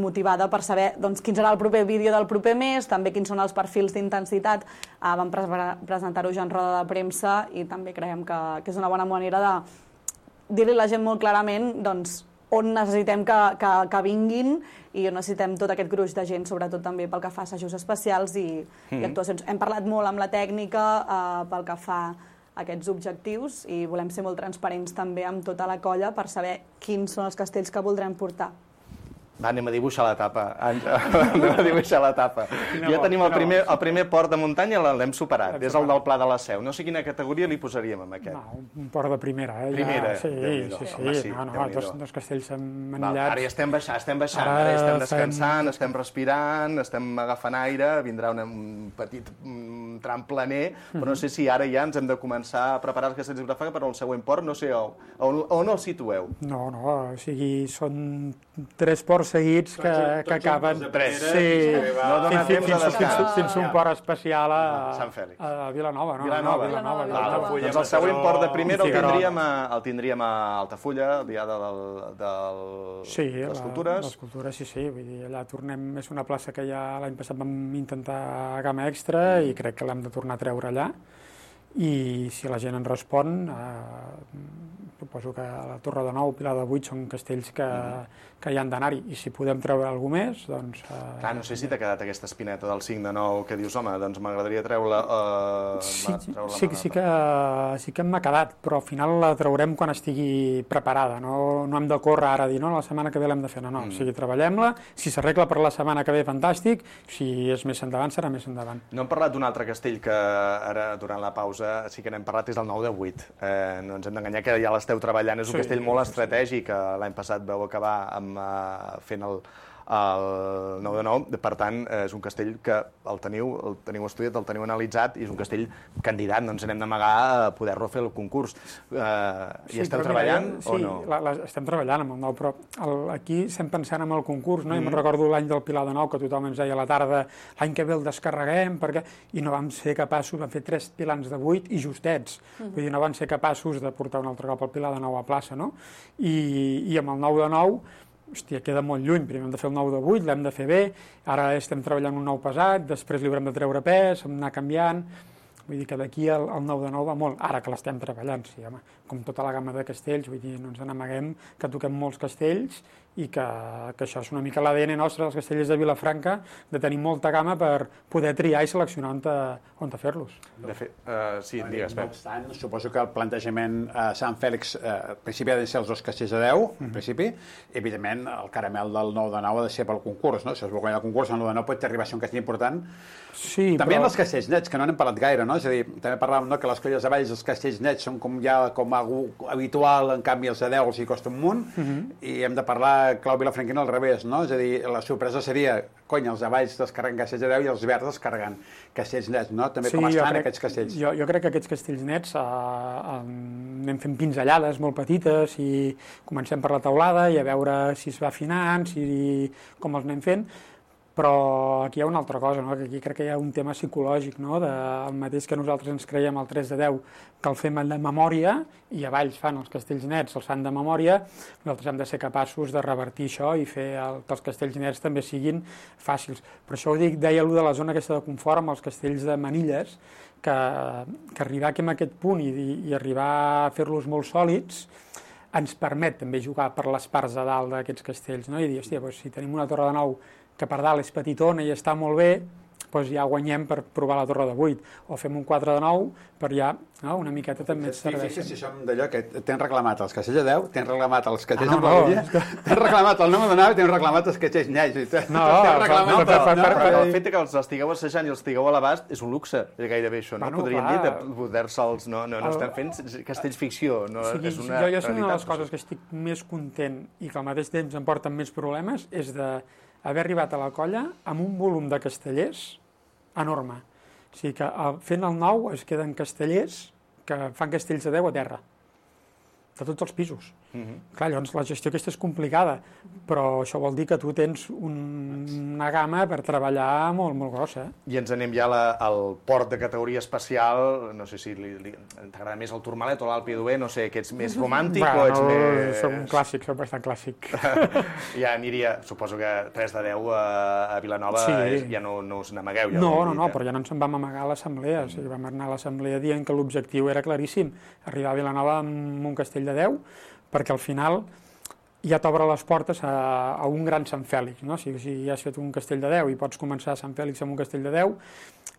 motivada per saber quin serà el proper vídeo del proper mes, també quins són els perfils d'intensitat. Vam presentar-ho ja en roda de premsa, i també creiem que és una bona manera de dir-li a la gent molt clarament on necessitem que vinguin, i on necessitem tot aquest gruix de gent, sobretot també pel que fa a assajos especials i actuacions. Hem parlat molt amb la tècnica pel que fa aquests objectius i volem ser molt transparents també amb tota la colla per saber quins són els castells que voldrem portar. Va, anem a dibuixar la tapa. Ja tenim el primer port de muntanya, l'hem superat. És el del Pla de la Seu. No sé quina categoria li posaríem amb aquest. No, un port de primera. Primera? Sí. Dos castells manillats. Ara ja estem baixant, ara estem descansant, estem respirant, estem agafant aire, vindrà un petit tram planer, però no sé si ara ja ens hem de començar a preparar els castells de Vilafranca per al següent port, no sé on el situeu. No, o sigui, són 3 ports seguits que acaben... Fins un port especial a Vilanova. Doncs el següent port de primera el tindríem a Altafulla, el dia de les cultures. Les cultures, sí. Vull dir, allà tornem, és una plaça que ja l'any passat vam intentar gamma extra i crec que l'hem de tornar a treure allà. I si la gent en respon, suposo que la Torre de Nou, Pilar de Buit són castells que hi han d'anar-hi, i si podem treure alguna més, doncs... Clar, no sé si t'ha quedat aquesta espineta del 5 de 9 que dius, home, doncs m'agradaria treure-la... Sí que m'ha quedat, però al final la traurem quan estigui preparada, no hem de córrer ara a dir, no, la setmana que ve l'hem de fer, no, o sigui, treballem-la, si s'arregla per la setmana que ve, fantàstic, si és més endavant, serà més endavant. No hem parlat d'un altre castell que ara, durant la pausa, sí que n'hem parlat, és el 9 de 8. No ens hem d'enganyar que ja l'esteu treballant, és un castell molt estratègic, l'any passat vau acabar fent el 9 de 9, per tant, és un castell que el teniu estudiat, el teniu analitzat, i és un castell candidat, no ens n'hem d'amagar a poder-lo fer el concurs. Hi esteu treballant o no? Sí, estem treballant amb el 9, però aquí estem pensant en el concurs, no? I me'n recordo l'any del Pilar de 9, que tothom ens deia a la tarda, l'any que ve el descarreguem, i no vam ser capaços, vam fer 3 pilans de 8 i justets, vull dir, no van ser capaços de portar un altre cop el Pilar de 9 a plaça, no? I amb el 9 de 9, hòstia, queda molt lluny, primer hem de fer el 9 de 8, l'hem de fer bé, ara estem treballant un 9 pesat, després li haurem de treure pes, anar canviant, vull dir que d'aquí el 9 de 9 va molt, ara que l'estem treballant, sí, home, com tota la gamma de castells, vull dir, no ens n'amaguem que toquem molts castells i que això és una mica l'ADN nostre dels castellers de Vilafranca, de tenir molta gamma per poder triar i seleccionar on fer-los. De fet, sí, digues, Pep. No obstant, suposo que el plantejament a Sant Fèlix, al principi ha de ser els 2 castells de 10, en principi, i evidentment el caramel del 9 de 9 ha de ser pel concurs, no? Si es vol guanyar el concurs, el 9 de 9 pot arribar a ser un castell important. Sí, també en els castells nets, que no n'hem parlat gaire, no? És a dir, també parlàvem que les colles de Valls, els castells nets són com algú habitual, en canvi els de 10 els hi costa un munt, i hem de parlar clau vilafranquina al revés, no? És a dir, la sorpresa seria, els de Valls descarreguen castells de 10 i els verds descarreguen castells nets, no? També com estan aquests castells. Jo crec que aquests castells nets anem fent pinzellades molt petites i comencem per la teulada i a veure si es va afinant, com els anem fent, però aquí hi ha una altra cosa, no? Que aquí crec que hi ha un tema psicològic, no? El mateix que nosaltres ens creiem el 3 de 10, que el fem de memòria, i a Valls fan els castells nets, els fan de memòria, nosaltres hem de ser capaços de revertir això i fer que els castells nets també siguin fàcils. Per això ho dic, deia allò de la zona aquesta de confort amb els castells de manilles, que arribar aquí a aquest punt i arribar a fer-los molt sòlids ens permet també jugar per les parts de dalt d'aquests castells, no? I dir, hòstia, si tenim una torre de 9 que per dalt és petitona i està molt bé, doncs ja guanyem per provar la torre de 8, o fem un 4 de 9 per ja una miqueta també et serveixen. Si som d'allò que tens reclamat els castells de 10, tens reclamat els castells amb la Villa, tens reclamat el 9 de 9 i tens reclamat els castells nets. Però el fet que els estigueu assajant i els estigueu a l'abast és un luxe, gairebé això, no? Podríem dir de poder-se'ls... No estem fent castells ficció, és una realitat. Jo és una de les coses que estic més content i que al mateix temps em porten més problemes és d'haver arribat a la colla amb un volum de castellers enorme. O sigui que fent el 9 es queden castellers que fan castells de 10 a terra, de tots els pisos. Clar, llavors la gestió aquesta és complicada, però això vol dir que tu tens una gamma per treballar molt, molt grossa. I ens anem ja al port de categoria especial, no sé si t'agrada més el Tourmalet o l'Alpi d'Huer, no sé, que ets més romàntic o ets més... Soc un clàssic, soc bastant clàssic. Ja aniria, suposo que 3 de 10 a Vilanova ja no us n'amagueu. No, però ja no ens en vam amagar a l'assemblea, o sigui, vam anar a l'assemblea dient que l'objectiu era claríssim, arribar a Vilanova amb un castell de 10, perquè al final ja t'obre les portes a un gran Sant Fèlix, no? Si ja has fet un castell de 10 i pots començar a Sant Fèlix amb un castell de 10,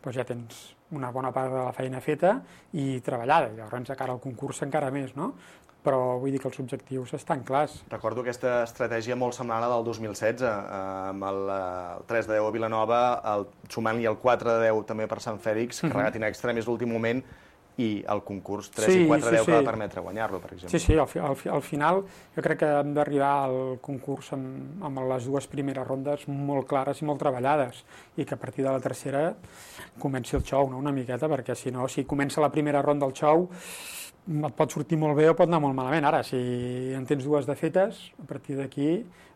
doncs ja tens una bona part de la feina feta i treballada, i llavors encara el concurs encara més, no? Però vull dir que els objectius estan clars. Recordo aquesta estratègia molt semblant a la del 2016, amb el 3 de 10 a Vilanova, sumant-hi el 4 de 10 també per Sant Fèlix, carregat in extra, més l'últim moment, i el concurs 3 i 4 de 10 que va permetre guanyar-lo, per exemple. Sí, al final jo crec que hem d'arribar al concurs amb les dues primeres rondes molt clares i molt treballades, i que a partir de la tercera comenci el xou, no? Una miqueta, perquè si no, si comença la primera ronda del xou, et pot sortir molt bé o pot anar molt malament. Ara, si en tens dues de fetes, a partir d'aquí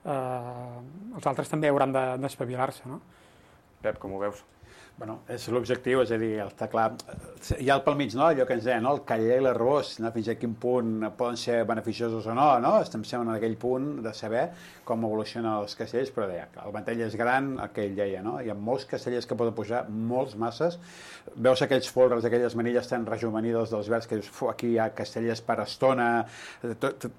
els altres també hauran d'espavilar-se, no? Pep, com ho veus? Bueno, és l'objectiu, és a dir, està clar, hi ha pel mig, no?, allò que ens deia, no?, el caller i l'arròs, no?, fins a quin punt poden ser beneficiosos o no, no?, estem sempre en aquell punt de saber com evolucionen els castells, però deia, el ventall és gran, el que ell deia, no?, hi ha molts castellers que poden pujar, molts masses, veus aquells folres, aquelles manilles tan rejuvenides dels verds que dius, aquí hi ha castellers per estona,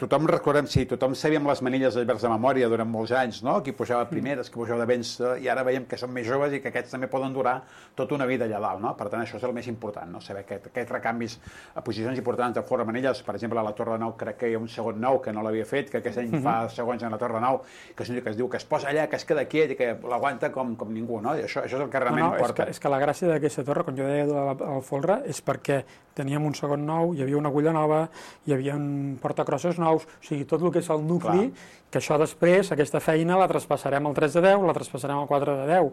tothom recordem, sí, tothom sabíem les manilles dels verds de memòria durant molts anys, no?, qui pujava primeres, qui pujava de vents, i ara veiem que són més joves i que aquests també poden durar tota una vida allà dalt, no? Per tant, això és el més important, no? Saber aquests recanvis a posicions importants de fora manilles. Per exemple, a la Torre de Nou crec que hi ha un segon nou que no l'havia fet, que aquest any fa segons en la Torre de Nou, que es diu que es posa allà, que es queda quiet i que l'aguanta com ningú, no? I això és el que realment importa. És que la gràcia d'aquesta torre, com jo deia al folre, és perquè teníem un segon nou, hi havia una agulla nova, hi havia un portacrossos nous, o sigui, tot el que és el nucli, que això després, aquesta feina, la traspassarem al 3 de 10, la traspassarem al 4 de 10.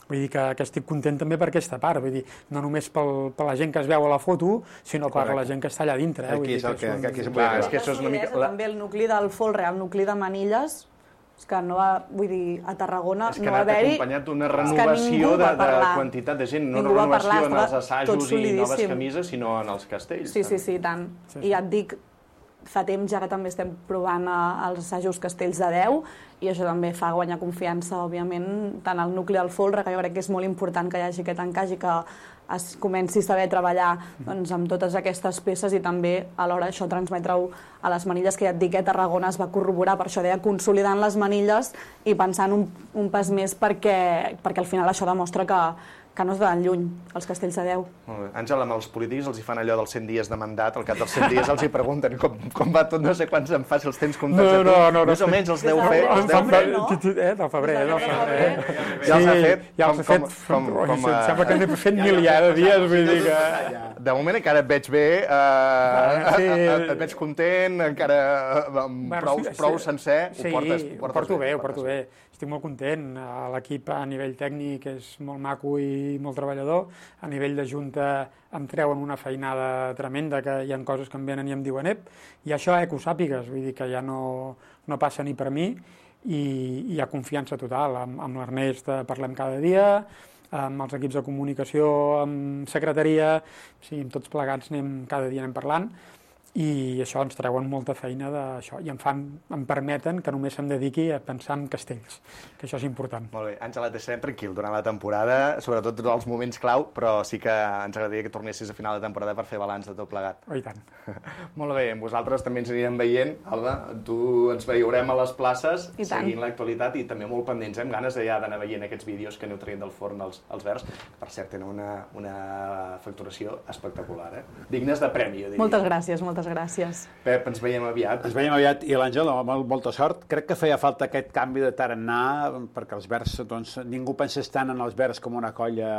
Vull dir que estic content també per aquesta part, vull dir, no només per la gent que es veu a la foto, sinó per la gent que està allà dintre. Aquí és el que això és una mica... També el nucli del folre, el nucli de manilles, és que no va, vull dir, a Tarragona no va haver-hi... És que ha anat acompanyat d'una renovació de quantitat de gent, no renovació en els assajos i noves camises, sinó en els castells. Sí, tant. I ja et dic, fa temps ja que també estem provant els assajos castells de 10, i això també fa guanyar confiança, òbviament, tant al nucli del folre, que jo crec que és molt important que hi hagi aquest encaix i que es comenci a saber treballar doncs, amb totes aquestes peces, i també alhora això transmetre-ho a les manilles, que ja et dic que a Tarragona es va corroborar, per això deia, consolidant les manilles i pensant un pas més, perquè al final això demostra que no es van lluny, els castells de 10. Molt bé. Àngel, amb els polítics els hi fan allò dels 100 dies de mandat, al cap dels 100 dies els hi pregunten com va tot, no sé quants en fa, si els tens comptats a tu. No. Més o menys els 10 fets. Del febrer. Ja els ha fet? Ja els ha fet. Sembla que n'he fet miliar de dies, vull dir que... De moment encara et veig bé, et veig content, encara prou sencer, ho porto bé. Estic molt content, l'equip a nivell tècnic és molt maco i molt treballador, a nivell de junta em treuen una feinada tremenda, que hi ha coses que em venen i em diuen i això que ho sàpigues, vull dir que ja no passa ni per mi, i hi ha confiança total, amb l'Ernest parlem cada dia, amb els equips de comunicació, amb secretaria, amb tots plegats cada dia anem parlant, i això ens treuen molta feina d'això, i em permeten que només em dediqui a pensar en castells, que això és important. Molt bé, Àngel, et deixarem tranquil durant la temporada, sobretot els moments clau, però sí que ens agradaria que tornessis a final de temporada per fer balanç de tot plegat. Oh, i tant. Molt bé, amb vosaltres també ens anirem veient, Alba, tu ens veurem a les places, seguint l'actualitat, i també molt pendents, amb ganes ja d'anar veient aquests vídeos que aneu traient del forn els verds, per cert, tenen una facturació espectacular, dignes de premi, jo diria. Moltes gràcies. Pep, ens veiem aviat. Ens veiem aviat, i l'Àngel, amb molta sort. Crec que feia falta aquest canvi de tarannà, perquè els verds, doncs, ningú pensés tant en els verds com una colla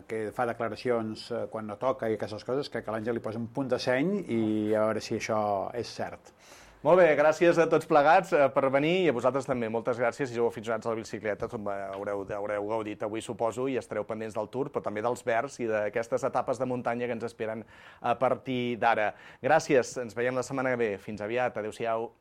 que fa declaracions quan no toca i aquestes coses. Crec que l'Àngel li posa un punt de seny i a veure si això és cert. Molt bé, gràcies a tots plegats per venir, i a vosaltres també. Moltes gràcies. Si sou aficionats a la bicicleta, haureu gaudit avui, suposo, i estareu pendents del Tour, però també dels verds i d'aquestes etapes de muntanya que ens esperen a partir d'ara. Gràcies, ens veiem la setmana que ve. Fins aviat, adéu-siau.